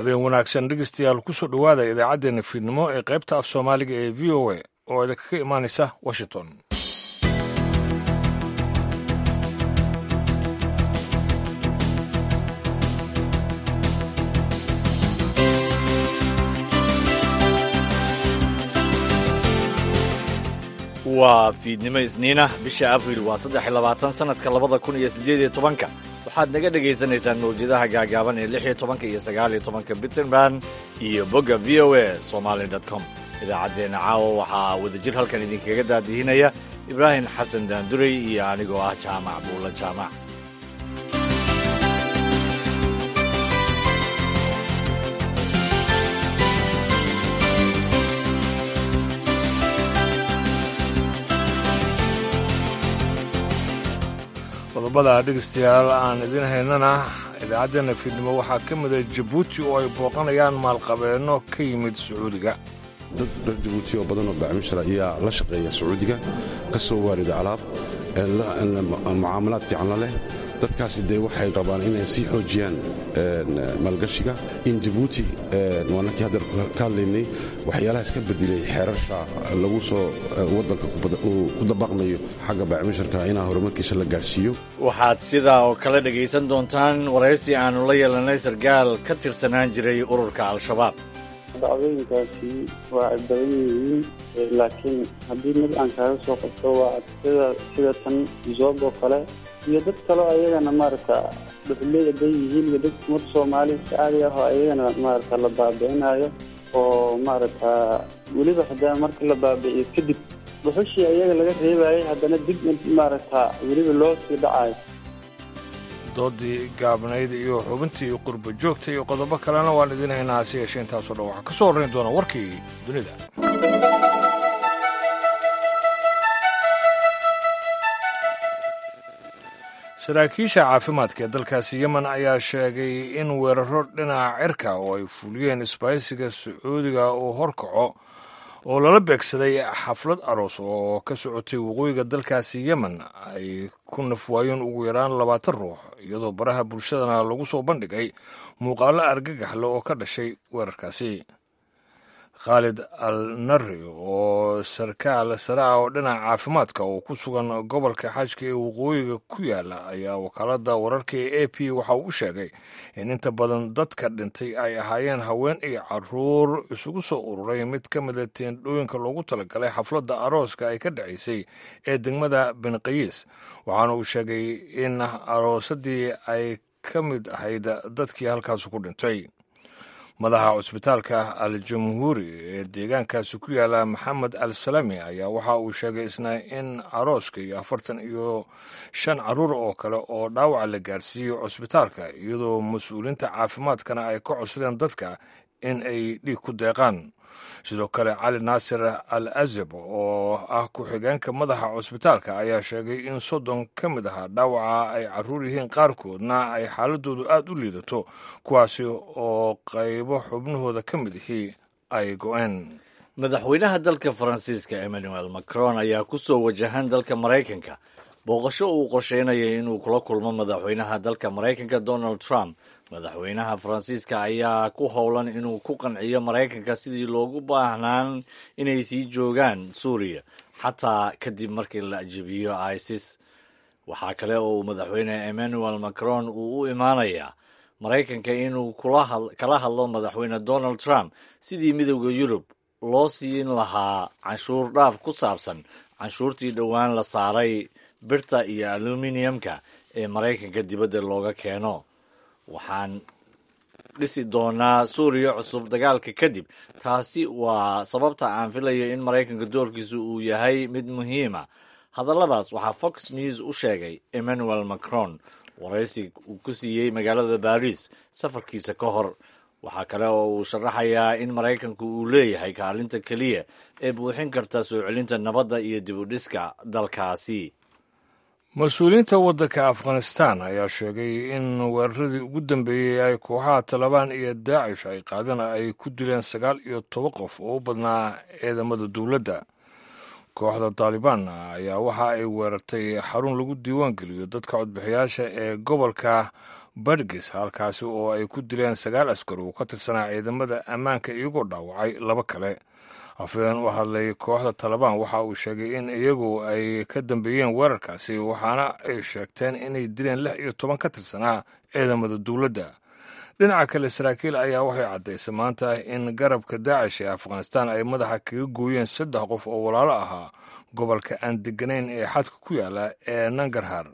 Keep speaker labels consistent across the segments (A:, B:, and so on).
A: Habeen wanaagsan, dhegeystayaal, kusoo dhowaada idaacaddeenna fiidnimo ee qaybta af Soomaaliga ee VOA oo idinkaga imaanaysa Washington.
B: Waa fiidnimo Isniinah, bisha Abriil waa 23, sanadka 2018-ka. Waxaad naga dhagaysanaysaan mawjadaha gaagaaban ee 16-ka iyo 19-ka Bitterman iyo bogga VOA Somali com. Idaacaddeenna caawa waxaa wadajir halkan idinkaga daadihinaya Ibraahim Xasan Daandurey iyo anigoo ah Jaamac Buulla Jaamac.
A: Qodobada, dhegeystayaal, aan idiin haynana idaacaddeenna fiidnimo waxaa ka mida Jabuuti oo ay booqanayaan maalqabeenno ka yimid Sacuudiga.
C: Dad reer Jabuuti oo badan oo bacmishra ayaa la shaqeeya Sacuudiga, ka soo waarida alaab, mucaamalaad fiican la leh. Dadkaasi dee waxay rabaan inay sii xoojiyaan maalgashiga in Jabuuti. Waanakii hadda ka hadlaynay waxyaalahaas ka bedelay xeerasha lagu soo waddanka ku dabaqmayo xagga baacmisharka inaa horumarkiisa la gaadhsiiyo.
B: Waxaad sidaa oo kale dhegaysan doontaan waraysi aannu la yeelanay sarkaal ka tirsanaan jiray ururka Al-Shabaab.
D: Dhacdooyinkaasi waa ay badan yihiin, laakiin haddii mid aan kaaga soo qabto waa sida tan Zoob oo kale iyo dad kaleo ayagana maaragta dhuxuley aday yihiin iyo dad umad Soomaali caadi ah oo ayagana maaragta la baabi'inayo, oo maaragta weliba hadaa marka la baabi'iyo kadib dhuxushii ayaga laga reebayay haddana dib maaragta weliba loo sii dhacayo.
A: Doodii gaabnayd iyo xubintii qurba joogta iyo qodobo kalena waan idiin haynaa, hase yeeshee intaasoo dhan waxaa ka soo horrayn doona warkii dunida. Saraakiisha caafimaadka ee dalkaasi Yemen ayaa sheegay in weeraro dhinaca cirka oo ay fuliyeen isbaahisiga Sacuudiga uu horkaco oo lala beegsaday xaflad aroos oo ka socotay waqooyiga dalkaasi Yemen ay ku nafwaayeen ugu yaraan 20 ruux, iyadoo baraha bulshadana lagu soo bandhigay muuqaallo argagaxle oo ka dhashay weerarkaasi. Khaalid al Nari oo sarkaal sare ah oo dhinaca caafimaadka oo ku sugan gobolka Xajka ee waqooyiga ku yaala ayaa wakaaladda wararka ee AP waxa uu u sheegay in inta badan dadka dhintay ay ahaayeen haween iyo caruur isugu soo ururay mid ka mida teendhooyinka loogu talagalay xafladda arooska ay ka dhacaysay ee degmada Benqayiis. Waxaana uu sheegay in aroosadii ay ka mid ahayd dadkii halkaas ku dhintay. Madaxa cusbitaalka Al Jamhuuri ee deegaankaasi ku yaala, Maxamed Al Salami, ayaa waxa uu sheegay isna in arooska iyo 45 caruur oo kale oo dhaawaca la gaarsiiyo cusbitaalka, iyadoo mas-uuliinta caafimaadkana ay ka codsadeen dadka in ay dhiig ku deeqaan. Sidoo kale, Cali Naasir Al Azab oo ah ku-xigeenka madaxa cusbitaalka ayaa sheegay in 30 ka mid ahaa dhaawaca ay caruur yihiin, qaarkoodna ay xaaladoodu aad u liidato, kuwaasi oo qaybo xubnahooda ka mid ihii ay go-een.
B: Madaxweynaha dalka Faransiiska Emmanuel Macron ayaa ku soo wajahan dalka Maraykanka booqasho uu qorsheynayay inuu kula kulmo madaxweynaha dalka Maraykanka Donald Trump. Madaxweynaha Faransiiska ayaa ku howlan inuu ku qanciyo Maraykanka sidii loogu baahnaan inay sii joogaan Suuriya xataa kadib markii la ajibiyo ISIS. Waxaa kale oo uu madaxweyne Emmanuel Macron uu u imaanayaa Maraykanka inuu kala hadlo madaxweyne Donald Trump sidii Midowda Yurub loo siin lahaa canshuur dhaaf ku saabsan canshuurtii dhowaan la saaray birta iyo aluminiyamka ee Maraykanka dibadda looga keeno. Waxaan dhisi doonaa Suuriya cusub dagaalka kadib. Taasi waa sababta aan filayo in Maraykanka doorkiisu uu yahay mid muhiima. Hadalladaas waxaa Fox News u sheegay Emmanuel Macron waraysi uu ku siiyey magaalada Baris safarkiisa ka hor. Waxaa kale oo uu sharaxayaa in Maraykanku uu leeyahay kaalinta keliya ee buuxin karta soo celinta nabadda iyo dib u dhiska dalkaasi.
A: Mas-uuliyiinta waddanka Afghanistan ayaa sheegay in weeraradii ugu dambeeyey ay kooxaha Talabaan iyo Daacish ay qaadeen ay ku dileen 19 qof oo u badnaa ciidamada dowladda. Kooxda Taalibaan ayaa waxa ay weerartay xarun lagu diiwaan geliyo dadka codbixiyaasha ee gobolka Badgis, halkaasi oo ay ku dileen 9 askar oo ka tirsanaa ciidamada ammaanka, iyagoo dhaawacay 2 kale. Afhayeen u hadlay kooxda Talabaan waxa uu sheegay in iyagu ay ka dambeeyeen weerarkaasi, waxaana ay sheegteen inay dileen 16 ka tirsanaa ciidamada dowladda. Dhinaca kale, saraakiil ayaa waxay caddaysay maanta in garabka Daacish ee Afghanistan ay madaxa kaga gooyeen 3 qof oo walaalo ahaa gobolka aan deganayn ee xadka ku yaala ee Nangarhar.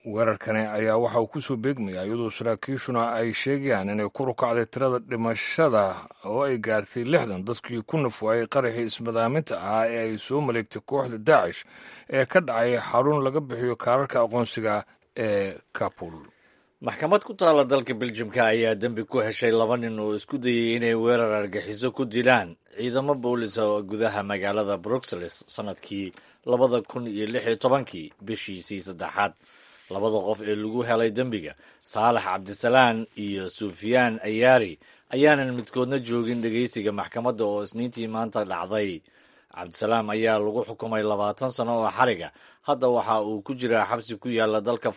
A: Weerarkani ayaa waxa uu kusoo beegmayaa iyadoo saraakiishuna ay sheegayaan inay ku rukacday tirada dhimashada oo ay gaartay 60 dadkii ku nafwaayey qaraxii ismadaaminta ahaa ee ay soo maleegtay kooxda Daacish ee ka dhacay xarun laga bixiyo kaararka aqoonsiga ee Kabul.
B: Maxkamad ku taalla dalka Beljimka ayaa dembi ku heshay 2 nin oo isku dayey inay weerar argaxiso ku dilaan ciidamo boolis oo gudaha magaalada Bruxelles sanadkii 2016-kii bishiisii saddexaad. Labada qof ee lagu helay dembiga, Saalax Cabdisalaan iyo Sufyaan Ayaari, ayaanan midkoodna joogin dhegeysiga maxkamadda oo Isniintii maanta dhacday. Cabdisalaam ayaa lagu xukumay 20 sano oo xariga. Hadda waxa uu ku jiraa xabsi ku yaala dalka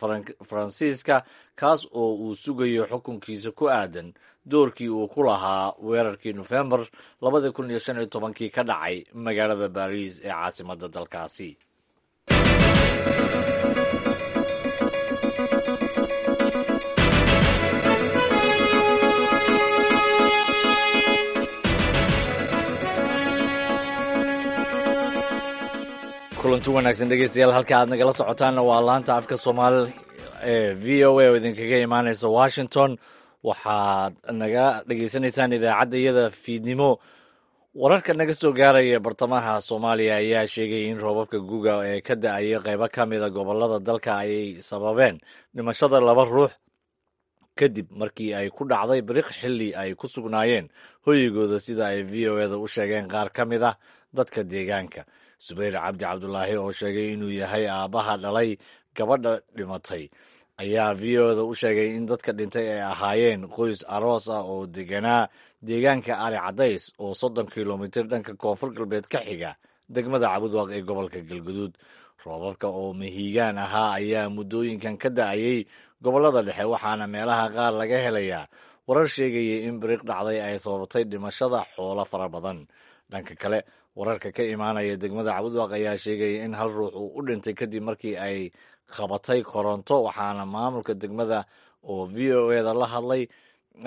B: Faransiiska, kaas oo uu sugayo xukunkiisa ku aadan doorkii uu ku lahaa weerarkii Nofembar 2015-kii ka dhacay magaalada Baariis ee caasimadda dalkaasi. Kulanti wanaagsan dhegeystayaal, halka aad nagala socotaanna waa laanta afka Soomaali ee VOA oo idinkaga imaaneysa Washington. Waxaad naga dhegeysanaysaan idaacadda iyada fiidnimo. Wararka naga soo gaaraya bartamaha Soomaaliya ayaa sheegay in roobabka guga ee ka da-aya qeybo ka mida gobolada dalka ay sababeen dhimashada 2 ruux kadib markii ay ku dhacday biriq xilli ay ku sugnaayeen hoygooda, sida ay VOA-da u sheegeen qaar ka mid ah dadka deegaanka. Subayr Cabdi Cabdulaahi oo sheegay inuu yahay aabbaha dhalay gabadha dhimatay ayaa VOA-da u sheegay in dadka dhintay ay ahaayeen qoys aroos ah oo deganaa deegaanka Ari Cadays oo 30 kilomitir dhanka koonfur galbeed ka xiga degmada Cabudwaaq ee gobolka Galguduud. Roobabka oo mahiigaan ahaa ayaa muddooyinkan ka da-ayay gobollada dhexe, waxaana meelaha qaar laga helayaa warar sheegaya in biriq dhacday ay sababtay dhimashada xoolo fara badan. Dhanka kale, wararka ka imaanaya degmada Cabudwaaq ayaa sheegaya in hal ruux uu u dhintay kadib markii ay qabatay koronto, waxaana maamulka degmada oo VOA-da la hadlay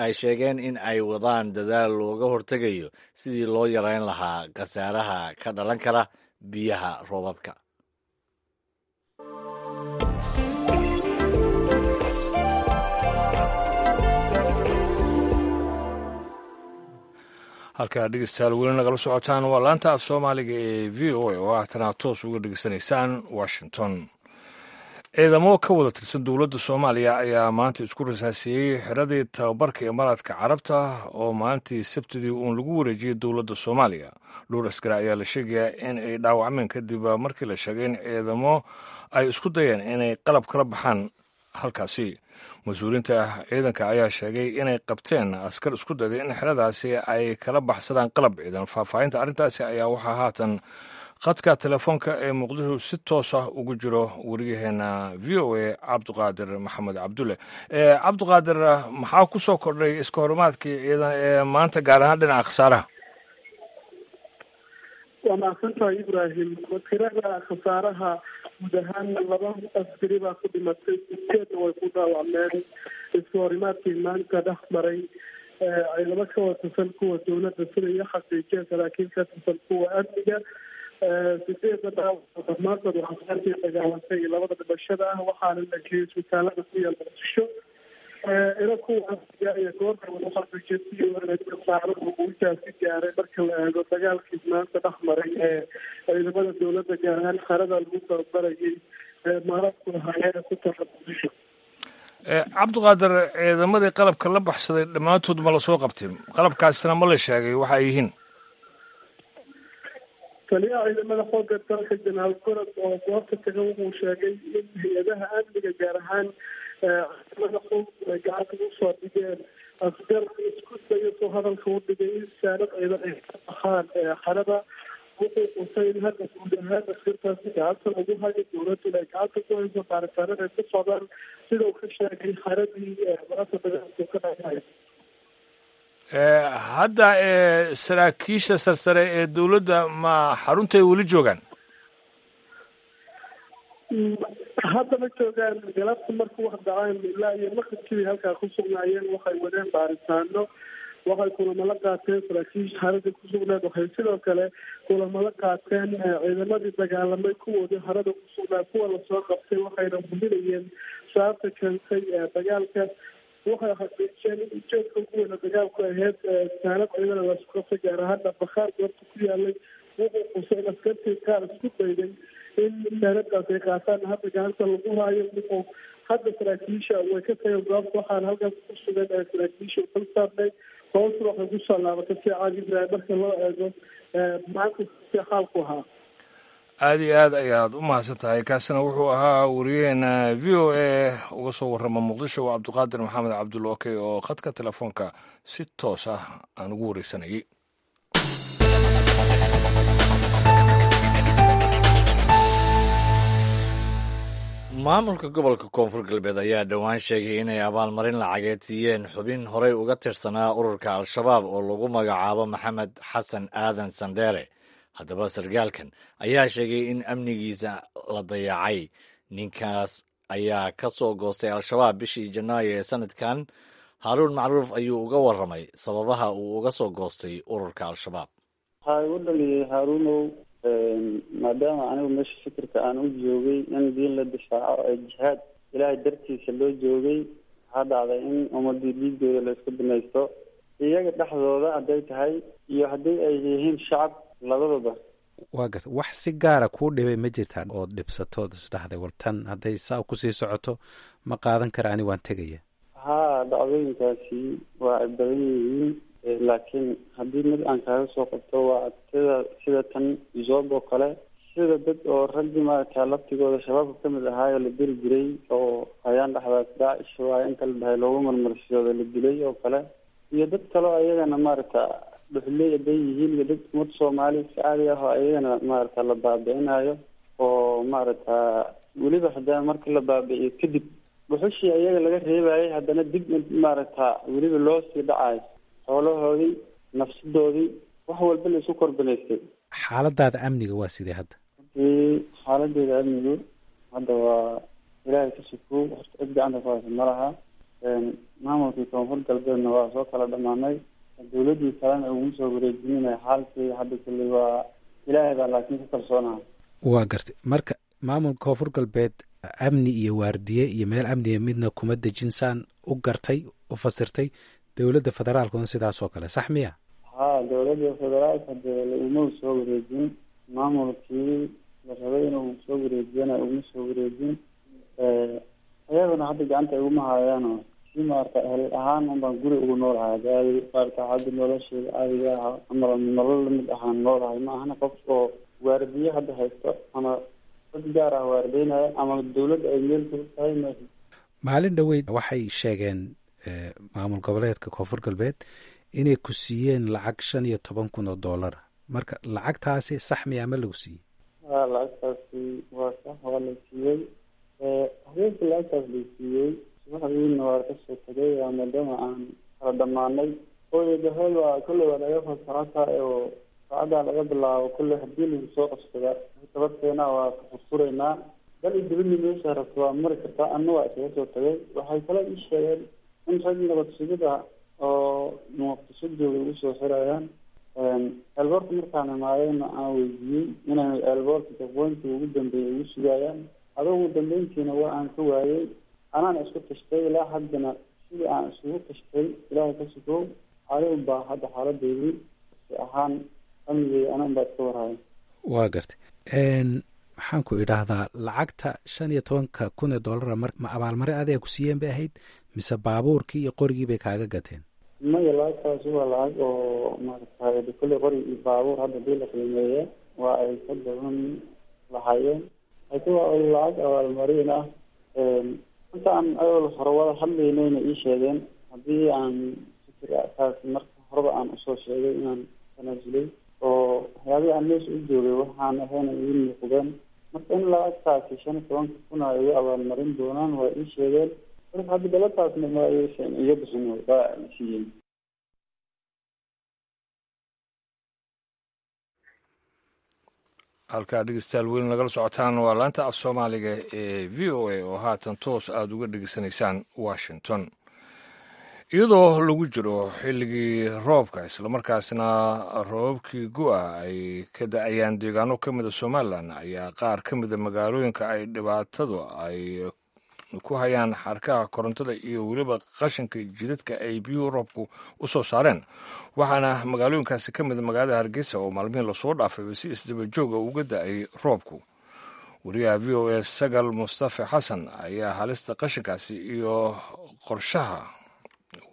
B: ay sheegeen in ay wadaan dadaal looga hortegayo sidii loo yareyn lahaa khasaaraha ka dhalan kara biyaha roobabka.
A: Halkaa dhegeystayaal weli nagala socotaan waa laanta af Soomaaliga ee VOA oo haatana toos uga dhegeysanaysaan Washington. Ciidamo ka wada tirsan dowladda Soomaaliya ayaa maanta isku rasaasiyey xiradii tababarka Imaaraadka Carabta oo maalintii Sabtidii uun lagu wareejiyey dowladda Soomaaliya. Dhowr askari ayaa la sheegayaa in ay dhaawacmeen kadib markii la sheegay in ciidamo ay isku dayeen inay qalab kala baxaan halkaasi. Mas-uuliyiinta ciidanka ayaa sheegay inay qabteen askar isku dayday in xeradaasi ay kala baxsadaan qalab ciidan. Faahfaahinta arrintaasi ayaa waxaa haatan khadka telefoonka ee Muqdisho si toos ah ugu jiro wariyaheena VOA Cabdiqaadir Maxamed Cabdulle. Cabdiqaadir, maxaa ku soo kordhay iska horumaadkii ciidan ee maanta, gaar ahaan dhinaca khasaaraha?
E: Waa mahadsantahay Ibraahim. Tirada khasaaraha guud ahaan 2 askari baa ku dhimatay, sideedna way ku dhaawacmeen iska horimaadkii maanta dhex maray ciidamo ka watirsan kuwa dowladda, sida iyo xaqiijiyeen saraakiil ka tirsan kuwa amniga. 8 dhaawac dhammaantood waxaa saartii dagaalantay iyo 2 dhimashada ah, waxaana la geeyey isbitaalada ku yaal Muqdisho. Ila kuwa amniga iyo goorta waxaqiijiyay khasaaruhu uu intaasi gaaray marka la eego dagaalkii maanta dhex maray ee ciidamada dowladda, gaar ahaan xerada lagu tababarayay ee maarabku lahaayeen ku taala Muqdisho.
A: Cabdiqaadir, ciidamadii qalabka la baxsaday dhammaantood ma la soo qabtay? Qalabkaasina ma la sheegay waxa ay yihiin?
E: Taliyaha ciidamada xoogga dalka Jenaraal Gorod oo goobta taga wuxuu sheegay in hay-adaha amniga, gaar ahaan ciidamada xoog, ay gacanta u soo dhigeen askar isku dayo soo hadalka u dhigay in saanad ciidan ay ka baxaan xerada, Wuxuu qusay in hadda guud ahaan askartaasi gacanta lagu hayo, dowladdu ay gacanta ku hayso, baaritaanada ay ku socdaan, sida uu ka sheegay xaradii maanta dagaalku ka dhacay.
A: Hadda saraakiisha sarsare ee dowladda ma xaruntay weli joogaan?
E: Hadda ma joogaan. Galabta marka wax dhaceen ilaa iyo maqribkii halkaa ku sugnaayeen, waxay wadeen baaritaano, waxay kulamo la qaateen saraakiisha xarada ku sugnayd, waxay sidoo kale kulamo la qaateen ciidamadii dagaalamay kuwoodii xarada ku sugnaa, kuwa lasoo qabtay, waxayna hubinayeen sababta keentay dagaalka. Waxay xaqiijiyeen in ujeedka ugu weyna dagaalku ahayd saanad ciidana laisku qabtay, gaar ahaana bakhaar goobta ku yaalay. Wuxuu qusay in askartii qaar isku dayday in saanadaas ay qaataan hadda gacanta lagu haayo. Wuxuu hadda saraakiisha way ka tageen goobta, waxaana halkaas ku sugan saraakiisha dul saarnay. Hoosna waxay kusoo laabatay si caadi Ibraahim marka loo eego maanta si xaalku ahaa.
A: Aada iyo aad ayaad u mahadsan tahay. Kaasina wuxuu ahaa wariyaheena VOA uga soo warrama Muqdisho, waa Cabdiqaadir Maxamed Cabdulokey oo khadka telefoonka si toos ah aan ugu wareysanayay.
B: Maamulka gobolka Koonfur Galbeed ayaa dhowaan sheegay inay abaalmarin lacageed siiyeen xubin horey uga tirsanaa ururka Al-Shabaab oo lagu magacaabo Maxamed Xasan Aadan Sandheere. Haddaba sargaalkan ayaa sheegay in amnigiisa la dayacay. Ninkaas ayaa ka soo goostay Al-Shabaab bishii Janaayo ee sanadkan. Haaruun Macruuf ayuu uga warramay sababaha uu uga soo goostay ururka Al-Shabaab.
D: Waxaa igu dhaliyay, Haaruunow, maadaama anigu meesha fikirka aan u joogay in diin la difaaco ee jihaad Ilaahay dartiisa loo joogay, waxaa dhacday in ummadii dhiigooda la isku binaysto, iyaga dhexdooda hadday tahay iyo haddii ay yihiin shacab labadaba.
F: Waa garta. Wax si gaara kuu dhibay ma jirtaa ood dhibsatood isdhahday, war tan hadday saa kusii socoto ma qaadan kara, ani waan tegaya?
D: Haa, dhacdooyinkaasi waa ay badan yihiin, laakiin haddii mid aan kaaga soo qabto waa sida tan Zob oo kale, sida dad oo raggii maaragta laftigooda shabaabka kamid ahaayoo la diri jiray oo ayaan dhexdaas Daacish waayo inta la dhahay loogu marmarsiyooda la dilay oo kale, iyo dad kaleo ayagana maaragta dhuxley haday yihiin, iyo dad ummad Soomaali si caadi ah oo ayagana maaragta la baabi'inayo, oo maaragta weliba hadaa marka la baabi'iyo kadib dhuxushii ayaga laga reebayay haddana dib maaragta weliba loo sii dhacayo, xoolahoodii, nafsadoodii, wax walba la isku korbinaystay.
F: Xaaladaada amniga waa sidee hadda?
D: Runtii xaaladeeda amnigu hadda waa Ilaahay ka sukow, horta cid gacanta ku haysa ma laha. Maamulkii Koonfur Galbeedna waa soo kala dhamaanay, dowladdii kalena uguma soo wareejinina. Xaalkii hadda kulley waa Ilaahay baa, laakiin ku kalsoonaha.
F: Waa gartay. Marka maamulka Koonfur Galbeed amni iyo waardiye iyo meel amniga midna kuma dejinsaan u gartay u fasirtay, dowladda federaalkuna sidaas oo kale, sax miya?
D: Haa, dowladda federaalka dee uguma soo wareejin, maamulkii la rabay inuu soo wareejiyana uguma soo wareejin, ayaguna hadda gacanta iguma hayaano. Si maarata ehel ahaan unbaan guri ugu noolahay hadda, maarata hadda nolosheeda caadiga ah ama nolol lamid ahaan noolahay, ma ahana qof oo waardiye hadda haysto ama dad gaar ah waardeynaya ama dowladda ay meel kaga tahay ma.
F: Maalin dhoweyd waxay sheegeen maamul goboleedka Koonfur Galbeed inay ku siiyeen lacag 15,000 oo dollara. Marka lacagtaasi sax miyaa, ma lagu siiyey?
D: Ha, lacagtaasi waa sax, waa la siiyey. Habeenkii lacagtaas la siiyey, subaxdiina waa kasoo tegay, maadaama aan kala dhamaanay. Hooyadaheel waa kolley waa laga fasaxata oo saacaddaa laga bilaabo kolley haddii lagu soo qabsada tabarteena waa ka furfuraynaa, dal iyo dibadna meesha rabto waa mari kartaa. Anna waa isaga soo tagay. Waxay kale ii sheegeen in rag nabad sugida oo Muqdisho jooga ugu soo xirayaan eelboorka. Markaan imaadayna aan weydiiyey inay eelboorka jaqooyntii ugu dambeeyay ugu sugayaan. Adugu ugu dambeyntiina waa aan ka waayey, anaan isku tashtay. Ilaa haddana sidii aan isugu tashtay, Ilaahay ka sukow, anigu baa hadda xaaladeydii si ahaan amnigeyda anan baa iska warhaya.
F: Waa gartay. Maxaan ku idhaahdaa, lacagta 15,000 ee dollara mar ma abaalmare adiga ku siiyeen bay ahayd mise baabuurkii iyo qorigii bay kaaga gateen?
D: Maya, lacagtaasi waa lacag oo maaragtay kolley qori iyo baabuur hadda hadii la qiimeeya waa ay ka badan lahaayeen, laakiin waa lacag abaalmarin ah. Inta aan awal hore wada hadlaynayna ii sheegeen haddii aan fikirkaas marka horeba aan usoo sheegay inaan tanaasulay oo Waxyaabihii aan meesha u joogay waxaan ahayn ii muuqdeen. Marka in lacagtaasi 15,000 ay igu abaalmarin doonaan waa ii sheegeen. Marka hadda galabtaasna ma aysan iga bixin, waa siiyeen.
A: Halkaa dhegeystayaal weyn nagala socotaan waa laanta af Soomaaliga ee VOA oo haatan toos aada uga dhegeysanaysaan Washington. Iyadoo lagu jiro xilligii roobka, islamarkaasna roobabkii gu'a ay ka da-ayaan deegaano ka mida Somalilan, ayaa qaar ka mida magaalooyinka ay dhibaatadu ay ku hayaan xarkaha korontada iyo weliba qashinka jidadka ay biyuhu roobku u soo saareen. Waxaana magaalooyinkaasi ka mida magaalada Hargeysa oo maalmihii lasoo dhaafay si isdaba jooga uga da-ay roobku. Wariyaha VOA Sagal Mustafa Xasan ayaa halista qashinkaasi iyo qorshaha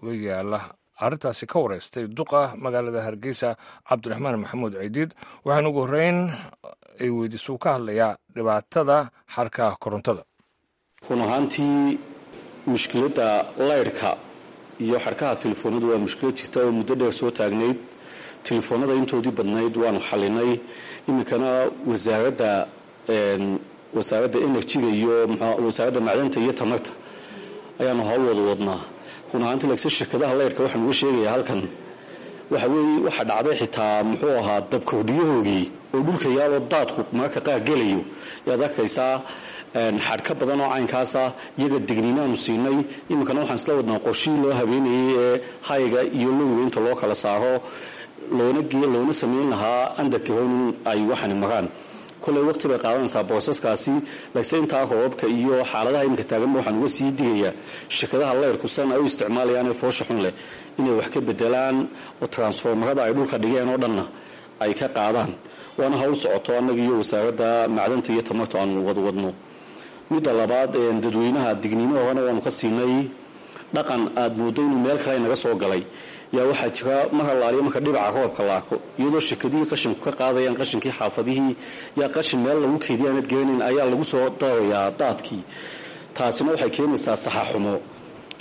A: uga yaala arrintaasi ka wareystay duqa magaalada Hargeysa, Cabdiraxmaan Maxamuud Ciidiid. Waxaana ugu horreyn ay weydiisuu ka hadlayaa dhibaatada xarkaha korontada.
G: Run ahaantii, mushkiladda laydhka iyo xadhkaha telefoonadu waa mushkilad jirta oo muddo dheer soo taagnayd. Telefoonada intoodii badnayd waanu xalinay. Iminkana wasaaradda enerjiga iyo wasaaradda macdanta iyo tamarta ayaanu hawl wada wadnaa. Run ahaantii, laakiinse shirkadaha laydhka waxaan uga sheegayaa halkan waxa weeye, waxa dhacday xitaa muxuu ahaa dabkordhiyahoogii oo dhulka yaaloo daadku mararka qaar gelayo yaad arkaysaa xadhka badan oo caynkaasa. Iyaga digniinaanu siinay. Iminkana waxaan isla wadnaa qorshihii loo habeenayay ee hayga iyo lowga inta loo kala saaro loona samayn lahaa underground in ay waxani maraan. Koley waqti bay qaadanaysaa boosaskaasi, laakiinse intaa roobabka iyo xaaladaha iminka taaganba waxaan uga sii digayaa shirkadaha layrku san ay u isticmaalayaan ee foosha xun leh inay wax ka bedelaan oo transformarada ay dhulka dhigeen oo dhanna ay ka qaadaan. Waana hawl socoto annaga iyo wasaaradda macdanta iyo tamartu aanu wadwadno. Midda labaad, dadweynaha digniino horena waanu ka siinay. Dhaqan aad mooddo inuu meel kale naga soo galay yaa waxaa jira: mar allaaliya marka dhibaca roobka la arko, iyadoo shirkadihii qashinku ka qaadayaan qashinkii xaafadihii, yaa qashin meel lagu keydiya aanad garanayn ayaa lagu soo darayaa daadkii. Taasina waxay keenaysaa saxaxumo.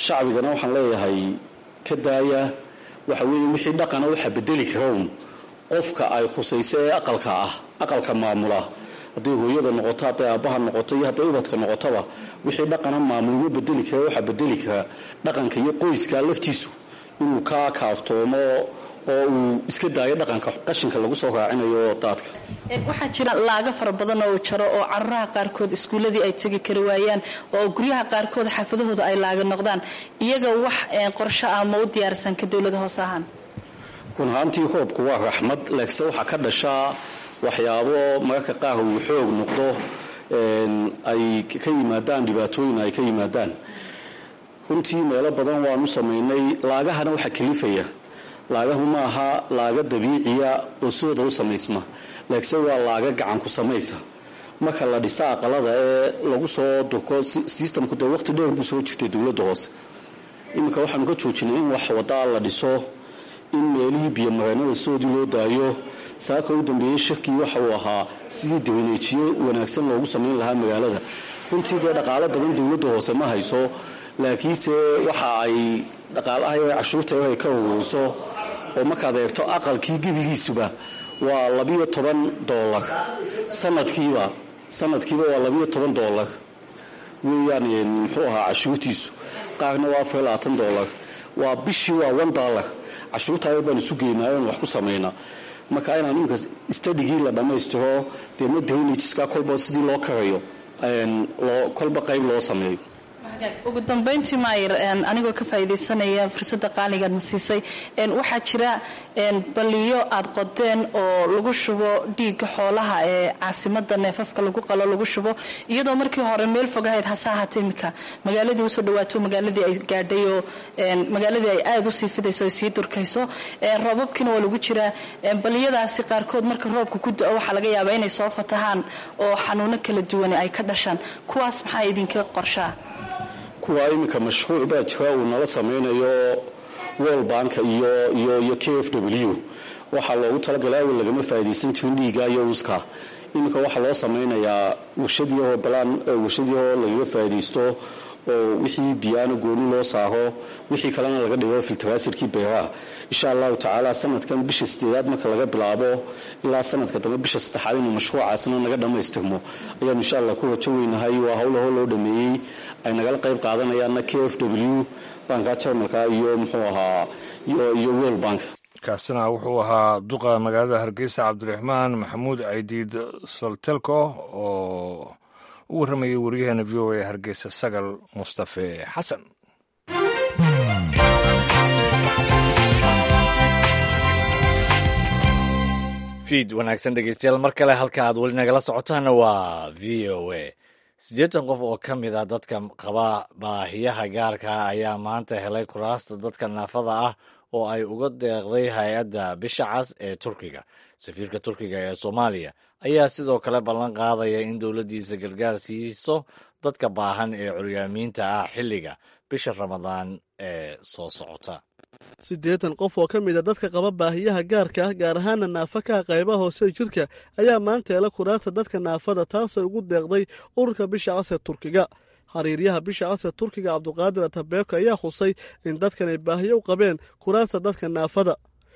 G: Shacbigana waxaan leeyahay ka daaya. Waxa weeye wixii dhaqana waxa bedeli karown qofka ay khusayso ee aqalka ah, aqalka maamula, hadday hooyada noqoto, hadday aabbaha noqoto iyo hadday ubadka noqotoba. Wixii dhaqana maamulma bedeli kara. Waxaa bedeli kara dhaqanka iyo qoyska laftiisu inuu ka kaaftoomo oo uu iska daayo dhaqanka qashinka lagu soo raacinayo daadka.
H: Waxaa jira laaga fara badan oo jaro oo caruraha qaarkood iskuulladii ay tegi kari waayaan oo guryaha qaarkood xaafadahooda ay laaga noqdaan. Iyaga wax qorsho ah ma u diyaarsan ka dowlada hoose ahaan?
G: Run ahaantii, roobku waa raxmad, laakiinse waxaa ka dhashaa waxyaabo mararka qaar uu xoog noqdo, ay ka yimaadaan dhibaatooyin ay ka yimaadaan. Runtii meelo badan waanu samaynay. Laagahana waxaa kalifaya, laagahu ma aha laaga dabiiciya oo sidooda u samaysma, laakiinse waa laaga gacan ku samaysa. Marka la dhisa aqalada ee lagu soo durko systemku, dee waqti dheer buu soo jirtay. Dowladda hoose iminka waxaanu ka joojinay in wax wadaa la dhiso, in meelihii biyomareenada sidoodii loo daayo. Saaka u dambeeyey shirkii waxa uu ahaa sidii dawneejiyo wanaagsan loogu samayn lahaa magaalada. Runtii dee dhaqaalo badan dowladda hoose ma hayso, laakiinse waxa ay dhaqaalaha cashuurta ay ka ururiso oo markaad eegto aqalkii gebigiisuba waa $12 sanadkiiba. Sanadkiiba waa $12 weeyaan muxuu ahaa cashuurtiisu. Qaarna waa $24, waa bishii waa $1. Cashuurta baan isu geynaa oon wax ku samaynaa. Marka inaan iminka studygii la dhammaystiro, deedna drainageska kolba sidii loo karayo kolba qayb loo sameeyo.
H: Ugu dambayntii, maayir, anigoo ka faa'iidaysanaya fursadda qaaligaad na siisay, waxaa jira baliyo aad qodeen oo lagu shubo dhiigga xoolaha ee caasimada neefafka lagu qalo lagu shubo, iyadoo markii hore meel fog ahayd, hase ahaatee imika magaaladii usoo dhawaato, magaaladii ay gaadhay oo magaaladii ay aada usii fidayso, ay sii durkayso. Roobabkiina waa lagu jiraa. Baliyadaasi qaarkood marka roobka ku da'o waxaa laga yaabaa inay soo fatahaan oo xanuuno kala duwan ay ka dhashaan. Kuwaas maxaa idinka qorshaa?
G: Kuwa iminka mashruuc baa jira uu nala samaynayo World Banka iyo KfW. Waxaa loogu talagalay, awal lagama faa'iidaysan jirin dhiigga iyo uuska. Iminka waxaa loo samaynayaa warshadiyahoo balaan, warshadiyahoo lagaga faa'iidaysto Oo wixii biyaana gooni loo saaro, wixii kalena laga dhigo filteraasirkii beeraha. Insha Allahu tacaala, sanadkan bisha 8aad marka laga bilaabo ilaa sanadka dambe bisha 3aad inuu mashruucaasna naga dhammaystirmo ayaanu insha Allah ku rajo weynahay. Waa howlaho loo dhameeyey, ay nagala qayb qaadanayaanna KfW, banka Jarmalka, iyo muxuu ahaa, iyo World Bank.
A: Kaasina wuxuu ahaa duqa magaalada Hargeysa, Cabdiraxmaan Maxamuud Caydiid Soltelco, oo u warramayay wariyaheena VOA Hargeysa, Sagal Mustafe Xasan.
B: Fiid wanaagsan, dhegeystayaal, mar kale. Halka aad weli nagala socotaana waa VOA. 80 qof oo ka mid ah dadka qaba baahiyaha gaarka ah ayaa maanta helay kuraasta dadka naafada ah oo ay uga deeqday hay-adda Bisha Cas ee Turkiga. Safiirka Turkiga ee Soomaaliya ayaa sidoo kale ballan qaadaya in dowladdiisa gargaar siiso dadka baahan ee curyaamiinta ah xilliga bisha Ramadaan ee soo socota.
E: 80 qof oo ka mid a dadka qaba baahiyaha gaarka ah, gaar ahaana naafa ka qaybaha hoose jirka, ayaa maanta hela kuraasta dadka naafada, taasoo ugu deeqday ururka Bisha Cas ee Turkiga. Xiriiryaha Bisha Cas ee Turkiga, Cabduqaadir Atabeeko, ayaa xusay in dadkan ay baahiyo u qabeen kuraasta dadka naafada.